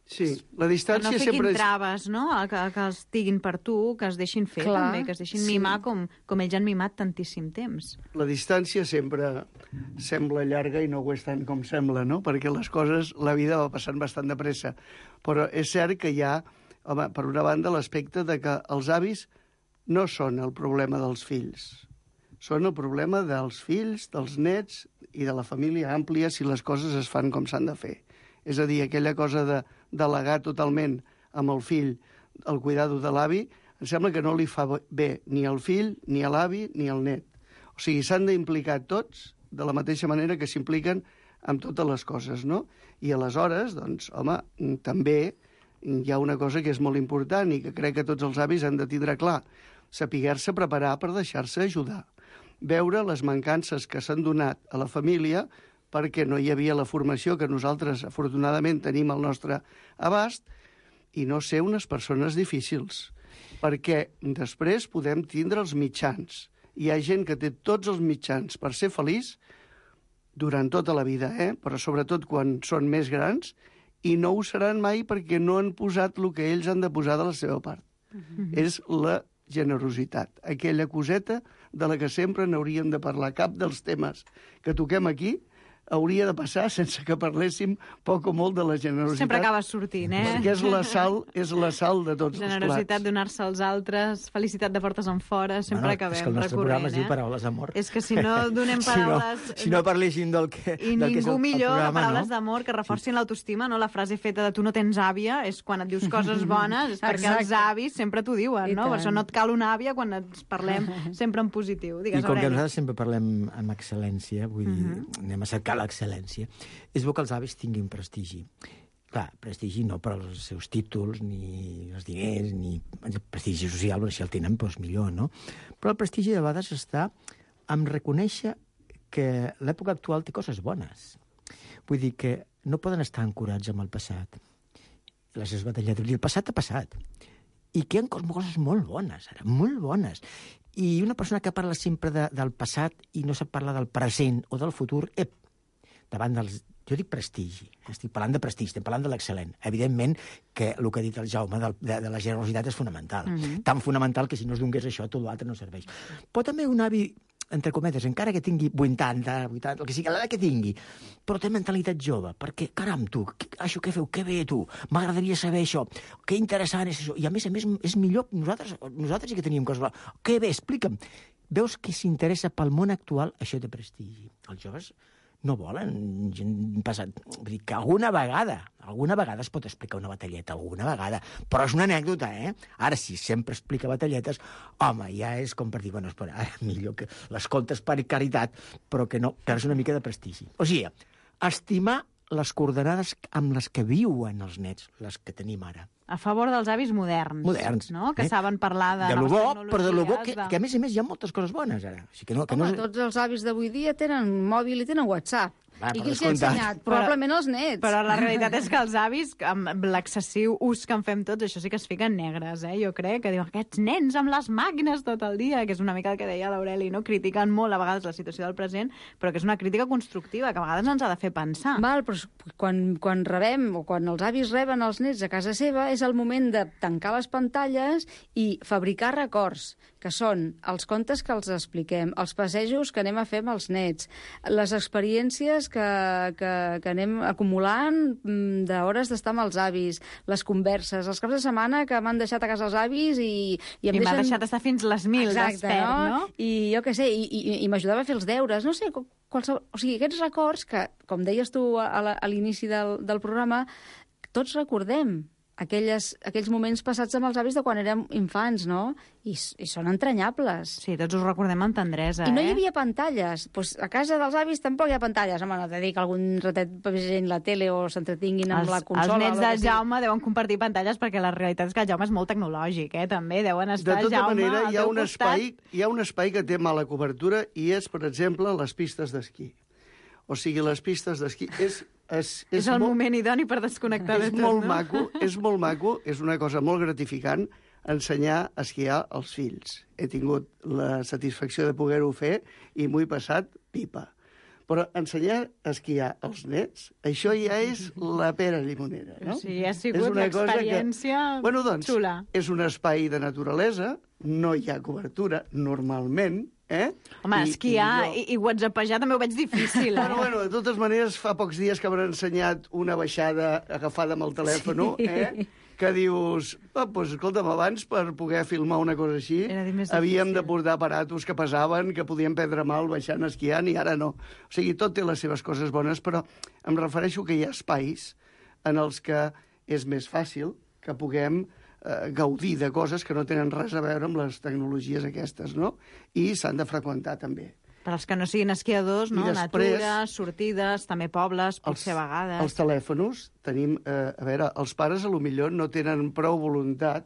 Sí, la distància sempre... Que no fiquin traves, no? Que els diguin per tu, que es deixin fer també, que es deixin mimar com ells han mimat tantíssim temps. La distància sempre sembla llarga i no ho és tant com sembla, no? Perquè les coses, la vida va passant bastant de pressa. Però és cert que hi ha, home, per una banda, l'aspecte de que els avis no són el problema dels fills. Són el problema dels fills, dels nets i de la família àmplia si les coses es fan com s'han de fer. És a dir, aquella cosa de delegar totalment amb el fill el cuidado de l'avi, em sembla que no li fa bé ni al fill, ni a l'avi, ni al net. O sigui, s'han d'implicar tots de la mateixa manera que s'impliquen amb totes les coses, no? I aleshores, doncs, home, també hi ha una cosa que és molt important i que crec que tots els avis han de tindre clar. Saber-se preparar per deixar-se ajudar. Veure les mancances que s'han donat a la família perquè no hi havia la formació que nosaltres, afortunadament, tenim al nostre abast, i no ser unes persones difícils. Perquè després podem tindre els mitjans. Hi ha gent que té tots els mitjans per ser feliç durant tota la vida, però sobretot quan són més grans, i no ho seran mai perquè no han posat el que ells han de posar de la seva part. És la generositat, aquella coseta de la que sempre n'hauríem de parlar. Cap dels temes que toquem aquí hauria de passar sense que parléssim poc o molt de la generositat. Sempre acabes sortint, Perquè és la sal de tots els plats. Generositat, donar-se als altres, felicitat de portes enfora, sempre acabem recorrent. És que el nostre programa es diu Paraules d'amor. És que si no donem paraules... Si no parléssim del que I del ningú que és el millor programa, que paraules d'amor que reforcin l'autoestima, no? La frase feta de tu no tens àvia és quan et dius coses bones, és perquè els avis sempre t'ho diuen, no? Per això no et cal una àvia quan ens parlem sempre en positiu. Digues, I com que Aureli. nosaltres sempre parlem amb excel·lència, vull dir, anem a cercar l'excel·lència, és bo que els avis tinguin prestigi. Clar, prestigi no per als seus títols, ni els diners, ni el prestigi social, si el tenen, doncs millor, no? Però el prestigi de vegades està en reconèixer que l'època actual té coses bones. Vull dir que no poden estar ancorats amb el passat. Les seves batalletes. El passat ha passat. I que hi ha coses molt bones, ara, molt bones. I una persona que parla sempre del passat i no sap parlar del present o del futur, davant dels... Jo dic prestigi, estic parlant de prestigi, estem parlant de l'excel·lent. Evidentment que el que ha dit el Jaume de la generositat és fonamental. Tan fonamental que si no es donés això, tot l'altre no serveix. Però també un avi, entre cometes, encara que tingui 80, el que sigui, l'edat que tingui, però té mentalitat jove, perquè, caram, tu, això què feu, que bé, tu, m'agradaria saber això, que interessant és això, i a més, és millor, nosaltres sí que teníem coses, que bé, explica'm. Veus que s'interessa pel món actual, això té prestigi. Els joves no volen gent passat. Vull dir que alguna vegada es pot explicar una batalleta, alguna vegada, però és una anècdota, Ara, si sempre explica batalletes, home, ja és com per dir, bueno, espera, ara millor que l'escoltes per caritat, però que no, que és una mica de prestigi. O sigui, estimar les coordenades amb les que viuen els nets, les que tenim ara. A favor dels avis moderns. No? Que saben parlar de lo noves bo, tecnologies. però de lo bo, que a més hi ha moltes coses bones, ara. O sigui que no tots els avis d'avui dia tenen mòbil i tenen WhatsApp. I qui els ha ensenyat? Probablement els nets. Però la realitat és que els avis, amb l'excessiu ús que en fem tots, això sí que es fiquen negres, jo crec, que diuen aquests nens amb les màquines tot el dia, que és una mica el que deia l'Aureli, no? Critiquen molt a vegades la situació del present, però que és una crítica constructiva, que a vegades ens ha de fer pensar. Val, però quan rebem, o quan els avis reben els nets a casa seva, és el moment de tancar les pantalles i fabricar records, que són els contes que els expliquem, els passejos que anem a fer amb els nets, les experiències que anem acumulant d'hores d'estar amb els avis, les converses, els caps de setmana que m'han deixat a casa els avis i m'ha deixat estar fins les 1000 despert, no? I jo què sé, i m'ajudava a fer els deures, no sé, qualsevol... O sigui, aquests records que, com deies tu a l'inici del programa, tots recordem aquells moments passats amb els avis de quan érem infants, no? I són entranyables. Sí, tots us recordem amb tendresa, I no hi havia pantalles. Pues a casa dels avis tampoc hi ha pantalles. Home, no t'he dit que algun ratet vegin la tele o s'entretinguin amb la consola. Els nets del Jaume deuen compartir pantalles perquè la realitat és que el Jaume és molt tecnològic, també. Deuen estar, de tota Jaume, manera, al teu costat. Hi ha un espai que té mala cobertura i és, per exemple, les pistes d'esquí. O sigui, les pistes d'esquí és el moment idoni per desconnectar de tot, no? És molt maco, és una cosa molt gratificant ensenyar a esquiar als fills. He tingut la satisfacció de poder-ho fer i m'ho he passat pipa. Però ensenyar a esquiar als nets, això ja és la pera limonera, no? Sí, ha sigut l'experiència xula. És un espai de naturalesa, no hi ha cobertura, normalment, Home, esquiar i whatsappejar també ho veig difícil, Bueno, de totes maneres, fa pocs dies que m'han ensenyat una baixada agafada amb el telèfon, que dius, doncs, escolta'm, abans per poder filmar una cosa així havíem de portar aparatos que pesaven, que podien prendre mal baixant esquiant, i ara no. O sigui, tot té les seves coses bones, però em refereixo que hi ha espais en els que és més fàcil que puguem gaudir de coses que no tenen res a veure amb les tecnologies aquestes, no? I s'han de freqüentar, també. Per als que no siguin esquiadors, no? Després, natura, sortides, també pobles, potser a vegades. Els telèfons, tenim... a veure, els pares, potser no tenen prou voluntat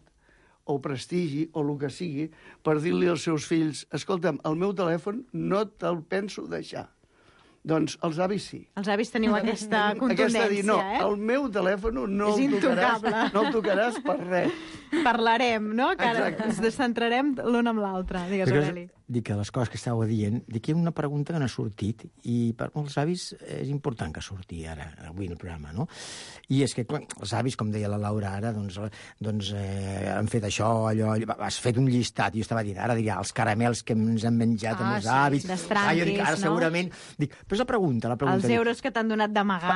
o prestigi, o el que sigui, per dir-li als seus fills, escolta'm, el meu telèfon no te'l penso deixar. Doncs els avis sí. Els avis teniu aquesta contundència, dir, no, el meu telèfon no el tocaràs per res. Parlarem, no? Que ara ens descentrarem l'un amb l'altre. Digues, Aureli. Dic que les coses que estàveu dient, dic que hi ha una pregunta que no ha sortit, i per molts avis és important que surti ara, avui en el programa, no? I és que els avis, com deia la Laura ara, doncs han fet això, allò, has fet un llistat, i jo estava dient, ara diria, els caramels que ens han menjat amb els avis. Jo dic, ara segurament... Dic, però és la pregunta. Els euros que t'han donat d'amagar.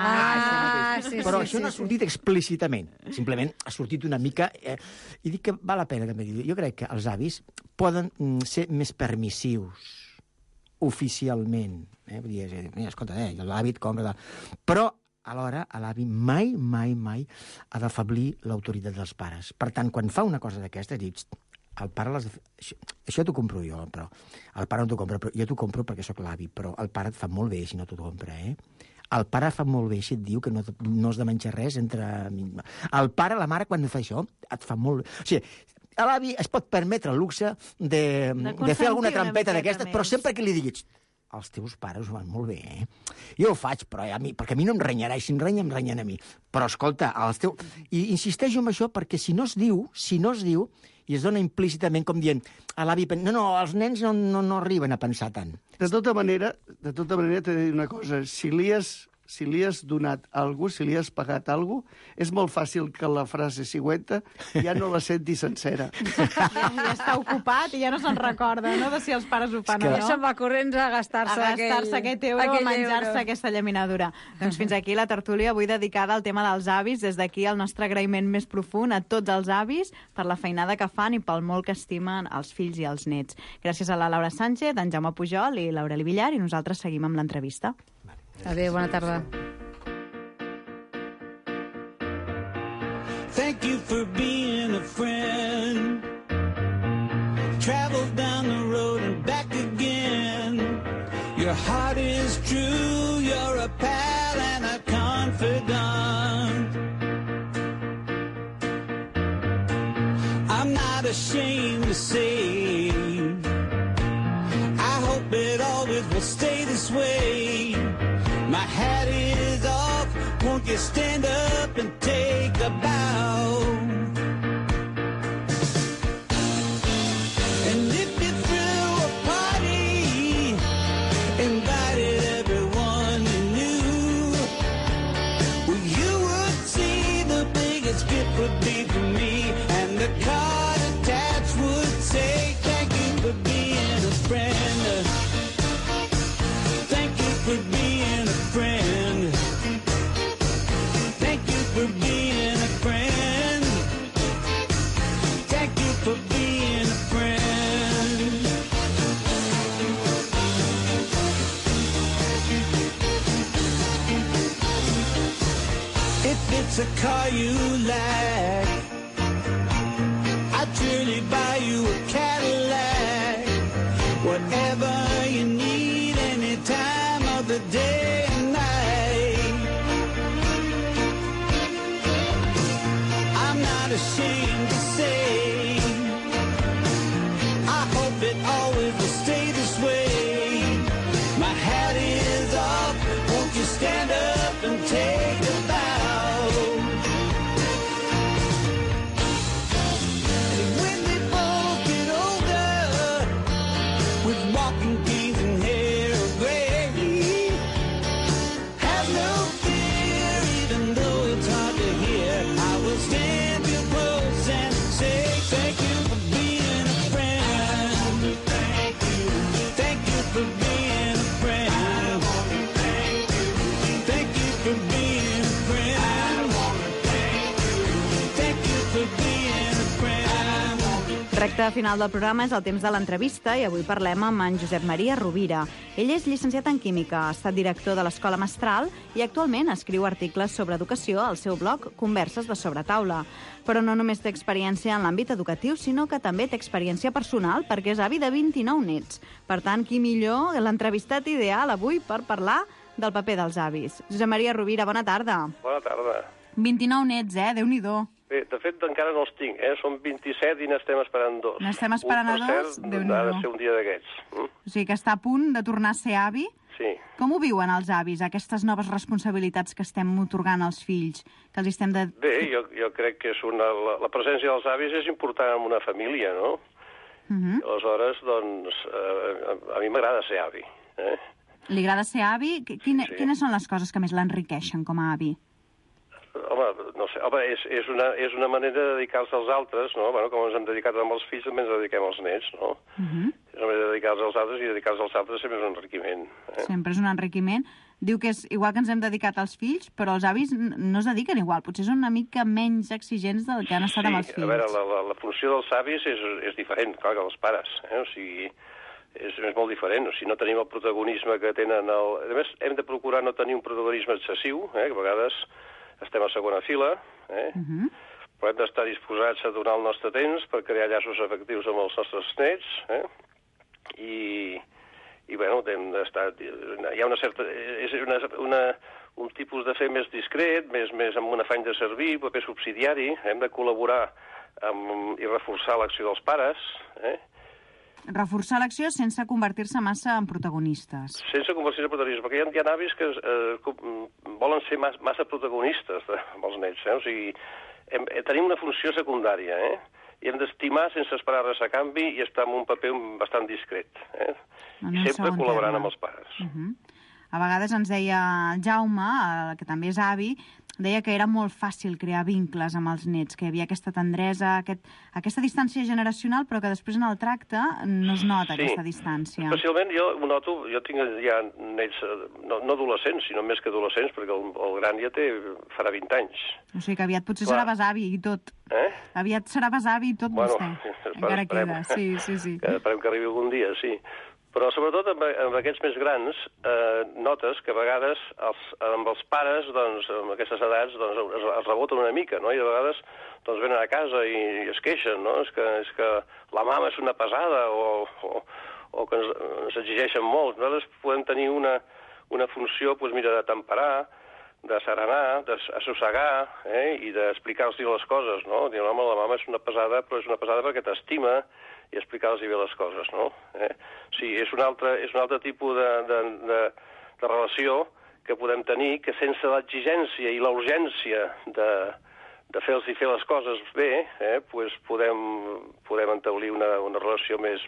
Però això no ha sortit explícitament, simplement ha sortit una mica... I dic que val la pena també dir. Jo crec que els avis poden ser més permissius oficialment. Vull dir, escolta, l'hàbit compra... Però, alhora, l'avi mai ha d'afeblir l'autoritat dels pares. Per tant, quan fa una cosa d'aquesta, dius, el pare l'has de fer... Això t'ho compro jo, però... El pare no t'ho compra, però jo t'ho compro perquè sóc l'avi, però el pare et fa molt bé si no t'ho compra, El pare fa molt bé si et diu que no has de menjar res entre... El pare, la mare, quan fa això, et fa molt bé. O sigui, l'avi es pot permetre el luxe de fer alguna trampeta d'aquestes, però sempre que li diguis els teus pares ho van molt bé, Jo ho faig, però perquè a mi no em renyarà, i si em renya, em renyen a mi. Però, escolta, I insisteixo en això perquè si no es diu, i es dona implícitament com dient a l'avi, no, els nens no arriben a pensar tant. De tota manera, t'he de dir una cosa. Si li has donat alguna cosa, si li has pagat alguna cosa, és molt fàcil que la frase següent ja no la senti sencera. Ja està ocupat i ja no se'n recorda, no?, de si els pares ho fan o no. Ja se'n va corrents a gastar-se aquest euro o a menjar-se aquesta llaminadura. Doncs fins aquí la tertúlia avui dedicada al tema dels avis. Des d'aquí el nostre agraïment més profund a tots els avis per la feinada que fan i pel molt que estimen els fills i els nets. Gràcies a la Laura Sánchez, en Jaume Pujol i l'Aureli Villar, i nosaltres seguim amb l'entrevista. Adéu, bona tarda. Thank you for being a friend. Travel down the road and back again. Your heart is true, you're a pal and a confidant. I'm not ashamed to say I hope it always will stay this way. My hat won't you stand up and take a bow? And if you threw a party, invited everyone you knew, well, you would see the biggest gift would be for me, and the card attached would say, thank you for being a friend. Thank you for being a friend. Thank you for being a friend. Thank you for being a friend. If it's a car you like, I'd surely buy you a Cadillac. Whatever you need, any time of the day and night. I'm not ashamed to say, I hope it always will stay this way. My hat is off, won't you stand up and take a bow? And when we both get older, with walking canes and hair of gray, have no fear, even though it's hard to hear. I will stand real close and say, thank you for being a friend. Thank you for being a friend. Thank you for being a friend. Thank you for being a friend. Recte final del programa és el temps de l'entrevista i avui parlem amb en Josep Maria Rovira. Ell és llicenciat en Química, ha estat director de l'Escola Mestral i actualment escriu articles sobre educació al seu blog Converses de Sobretaula. Però no només té experiència en l'àmbit educatiu, sinó que també té experiència personal perquè és avi de 29 nets. Per tant, qui millor l'entrevistat ideal avui per parlar del paper dels avis. Josep Maria Rovira, bona tarda. Bona tarda. 29 nets, Déu-n'hi-do. Bé, de fet, encara no els tinc, Són 27 i n'estem esperant 2. N'estem esperant a 2? Déu-n'hi-do. Ha de ser un dia d'aquests. O sigui que està a punt de tornar a ser avi? Sí. Com ho viuen els avis, aquestes noves responsabilitats que estem otorgant als fills? Que els estem de... Bé, jo crec que és la presència dels avis és important en una família, no? Aleshores, doncs, a mi m'agrada ser avi. Li agrada ser avi? Quines són les coses que més l'enriqueixen com a avi? Home, no sé, és una manera de dedicar-se als altres, no? Bueno, com ens hem dedicat amb els fills, també ens dediquem als nets, no? És una manera de dedicar-se als altres, i dedicar-se als altres sempre és un enriquiment. Sempre és un enriquiment. Diu que és igual que ens hem dedicat als fills, però els avis no es dediquen igual, potser són una mica menys exigents del que han estat amb els fills. Sí, a veure, la funció dels avis és diferent, clar, que dels pares, O sigui, és molt diferent, o sigui, no tenim el protagonisme que tenen A més, hem de procurar no tenir un protagonisme excessiu, que a vegades estem a segona fila, però hem d'estar disposats a donar el nostre temps per crear llaços efectius amb els nostres nets, i bueno, hem d'estar... Hi ha una certa... És un tipus de fer més discret, més amb un afany de servir, paper subsidiari, hem de col·laborar i reforçar l'acció dels pares, Reforçar l'acció sense convertir-se massa en protagonistes. Sense convertir-se en protagonistes, perquè hi ha avis que volen ser massa protagonistes amb els nets, O sigui, tenim una funció secundària, I hem d'estimar sense esperar res a canvi i estar en un paper bastant discret, I sempre col·laborant amb els pares. A vegades ens deia Jaume, que també és avi, deia que era molt fàcil crear vincles amb els nets, que hi havia aquesta tendresa, aquesta distància generacional, però que després en el tracte no es nota aquesta distància. Especialment jo ho noto, jo tinc ja nets, no adolescents, sinó més que adolescents, perquè el gran ja farà 20 anys. O sigui que aviat potser serà besavi i tot. Aviat serà besavi i tot vostè. Encara queda, sí. Esperem que arribi algun dia, sí. Però sobretot amb aquests més grans notes que a vegades amb els pares, doncs, amb aquestes edats, doncs, es reboten una mica, no? I a vegades doncs, venen a casa i es queixen, no? És que la mama és una pesada o que ens exigeixen molt. Nosaltres podem tenir una funció, doncs, mira, de temperar, de serenar, d'assossegar, i d'explicar-los les coses, no? Dir, home, la mama és una pesada, però és una pesada perquè t'estima, i explicar-los bé les coses, no? Sí, és un altre tipus de relació que podem tenir, que sense l'exigència i la urgència de fer les coses bé, pues podem entablir una relació més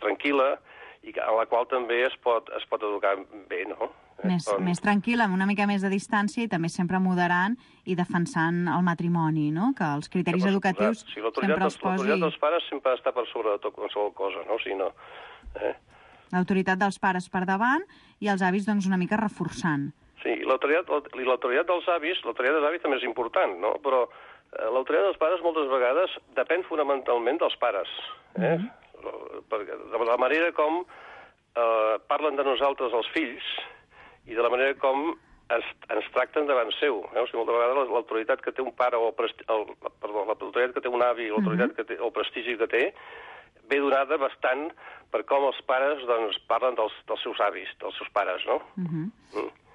tranquil·la i a la qual també es pot educar bé, no? Més tranquil·la, amb una mica més de distància i també sempre moderant i defensant el matrimoni, no? Que els criteris educatius sempre els posi... L'autoritat dels pares sempre ha d'estar per sobre de tot qualsevol cosa, no? O sigui, no. L'autoritat dels pares per davant i els avis, doncs, una mica reforçant. Sí, l'autoritat dels avis també és important, no? Però l'autoritat dels pares moltes vegades depèn fonamentalment dels pares, perquè de la manera com parlen de nosaltres els fills i de la manera com ens tracten davant seu. O sigui, moltes vegades l'autoritat que té un pare l'autoritat que té un avi, l'autoritat que té, el prestigi que té, ve donada bastant per com els pares doncs, parlen dels seus avis, dels seus pares, no?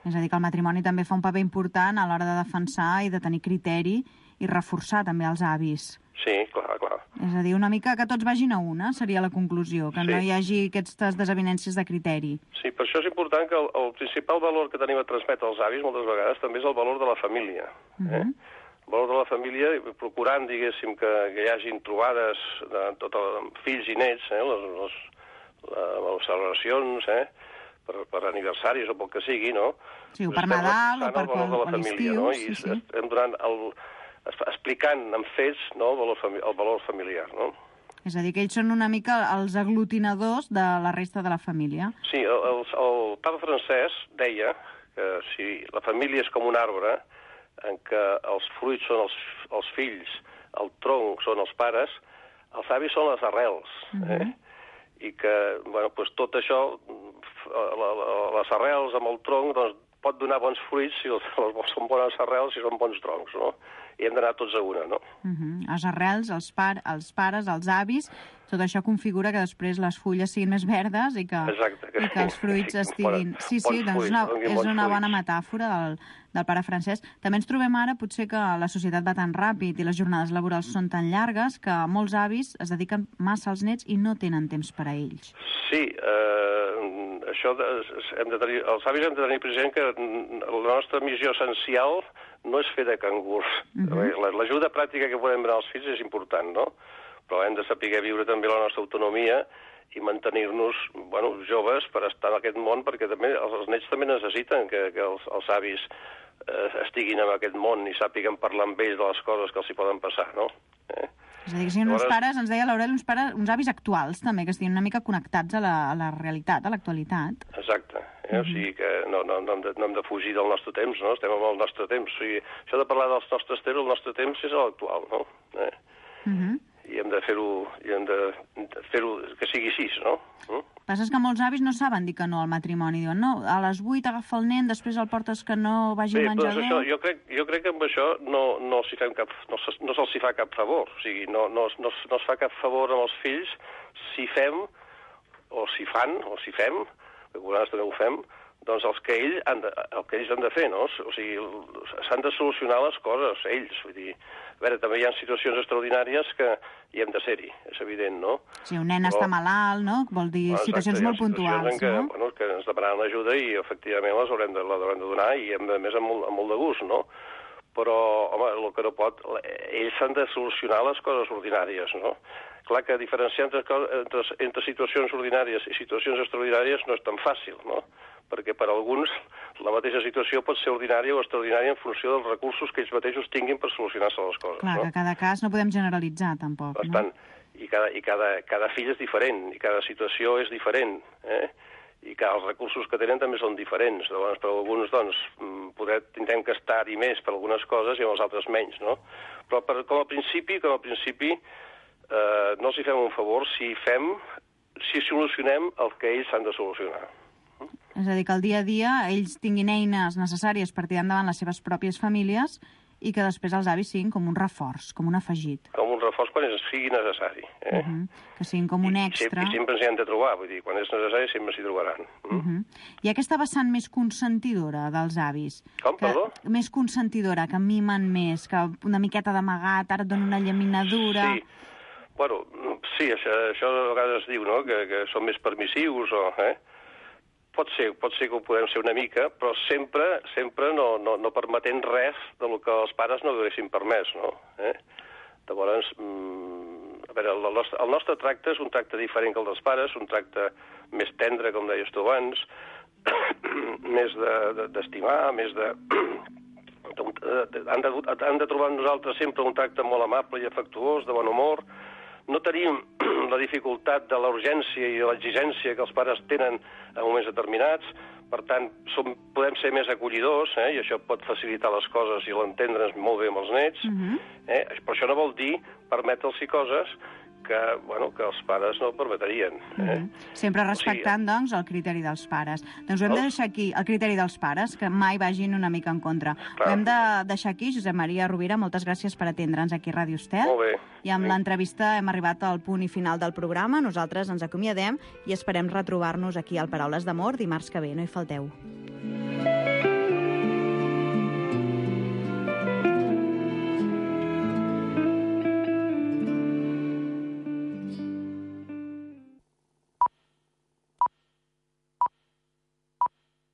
És a dir, que el matrimoni també fa un paper important a l'hora de defensar i de tenir criteri i reforçar també els avis. Sí, clar. És a dir, una mica que tots vagin a una, seria la conclusió, que no hi hagi aquestes desavinences de criteri. Sí, per això és important que el principal valor que tenim a transmetre als avis moltes vegades també és el valor de la família. El valor de la família, procurant, diguéssim, que hi hagin trobades de fills i nets, les celebracions, per aniversaris o pel que sigui, no? Sí, o per Nadal o per l'estiu. No? I estem donant explicant amb fets, no, el valor familiar, no? És a dir, que ells són una mica els aglutinadors de la resta de la família. Sí, el papa francès deia que si la família és com un arbre en què els fruits són els fills, el tronc són els pares, els avis són les arrels, i que, bueno, doncs tot això, les arrels amb el tronc, doncs, pot donar bons fruits si són bones arrels, si són bons troncs, no? I hem d'anar tots a una, no? Les arrels, els pares, els avis, tot això configura que després les fulles siguin més verdes i que els fruits estiguin... Sí, doncs és una bona metàfora del pare Francesc. També ens trobem ara, potser, que la societat va tan ràpid i les jornades laborals són tan llargues que molts avis es dediquen massa als nets i no tenen temps per a ells. Sí, això els avis hem de tenir present que la nostra missió essencial no és fer de cangurs. L'ajuda pràctica que podem donar als fills és important, no? Però hem de saber viure també la nostra autonomia i mantenir-nos, bueno, joves per estar en aquest món, perquè també els nets també necessiten que els avis estiguin en aquest món i sàpiguen parlar amb ells de les coses que els hi poden passar, no? És a dir, que siguin uns pares, ens deia l'Aureli, uns avis actuals, també, que estiguin una mica connectats a la realitat, a l'actualitat. Exacte. O sigui que no hem de fugir del nostre temps, no? Estem amb el nostre temps. O sigui, això de parlar dels nostres temps, el nostre temps és l'actual, no? I hem de fer-ho que sigui així, no? El que passa és que molts avis no saben dir que no al matrimoni. Diuen, no, a les 8 agafa el nen, després el portes que no vagi al menjador... Bé, doncs això, jo crec que amb això no se'ls fa cap favor. O sigui, no es fa cap favor amb els fills si fem, o si fan, o si fem, que a vegades també ho fem, doncs el que ells han de fer, no? O sigui, s'han de solucionar les coses, ells, vull dir... A veure, també hi ha situacions extraordinàries que hi hem de ser-hi, és evident, no? Si un nen està malalt, no? Vol dir situacions molt puntuals, no? Bueno, que ens demanaran ajuda i, efectivament, les haurem de donar i, a més, amb molt de gust, no? Però, home, el que no pot... Ells s'han de solucionar les coses ordinàries, no? Clar que diferenciar entre situacions ordinàries i situacions extraordinàries no és tan fàcil, no? Perquè per alguns la mateixa situació pot ser ordinària o extraordinària en funció dels recursos que ells mateixos tinguin per solucionar-se les coses. Clar, que cada cas no podem generalitzar, tampoc, no? Bastant. I cada fill és diferent, i cada situació és diferent, i que els recursos que tenen també són diferents. Llavors, per alguns, doncs, tindrem que estar-hi més per algunes coses i amb els altres menys, no? Però com a principi, no els hi fem un favor si solucionem el que ells han de solucionar. És a dir, que al dia a dia ells tinguin eines necessàries per tirar endavant les seves pròpies famílies i que després els avis siguin com un reforç, com un afegit. Com un reforç quan sigui necessari. Que siguin com un extra. I sempre ens hi han de trobar, vull dir, quan és necessari sempre s'hi trobaran. I aquesta vessant més consentidora dels avis. Com, perdó? Més consentidora, que mimen més, que una miqueta d'amagat, ara et donen una llaminadura... Sí. Bueno, sí, això a vegades es diu, no?, que són més permissius, Pot ser que ho podem ser una mica, però sempre no permetent res del que els pares no haguessin permès, no? Llavors, a veure, el nostre tracte és un tracte diferent que el dels pares, un tracte més tendre, com deies tu abans, més d'estimar, més de... Han de trobar en nosaltres sempre un tracte molt amable i afectuós, de bon humor. No tenim la dificultat de la urgència i de l'exigència que els pares tenen en moments determinats. Per tant, podem ser més acollidors, i això pot facilitar les coses i l'entendre's molt bé amb els nets. Però això no vol dir permetre'ls coses que els pares no permetrien. Sempre respectant, doncs, el criteri dels pares. Doncs ho hem de deixar aquí, el criteri dels pares, que mai vagin una mica en contra. Ho hem de deixar aquí. Josep Maria Rovira, moltes gràcies per atendre'ns aquí a Ràdio Estel. Molt bé. I amb l'entrevista hem arribat al punt i final del programa. Nosaltres ens acomiadem i esperem retrobar-nos aquí al Paraules d'Amor dimarts que ve. No hi falteu.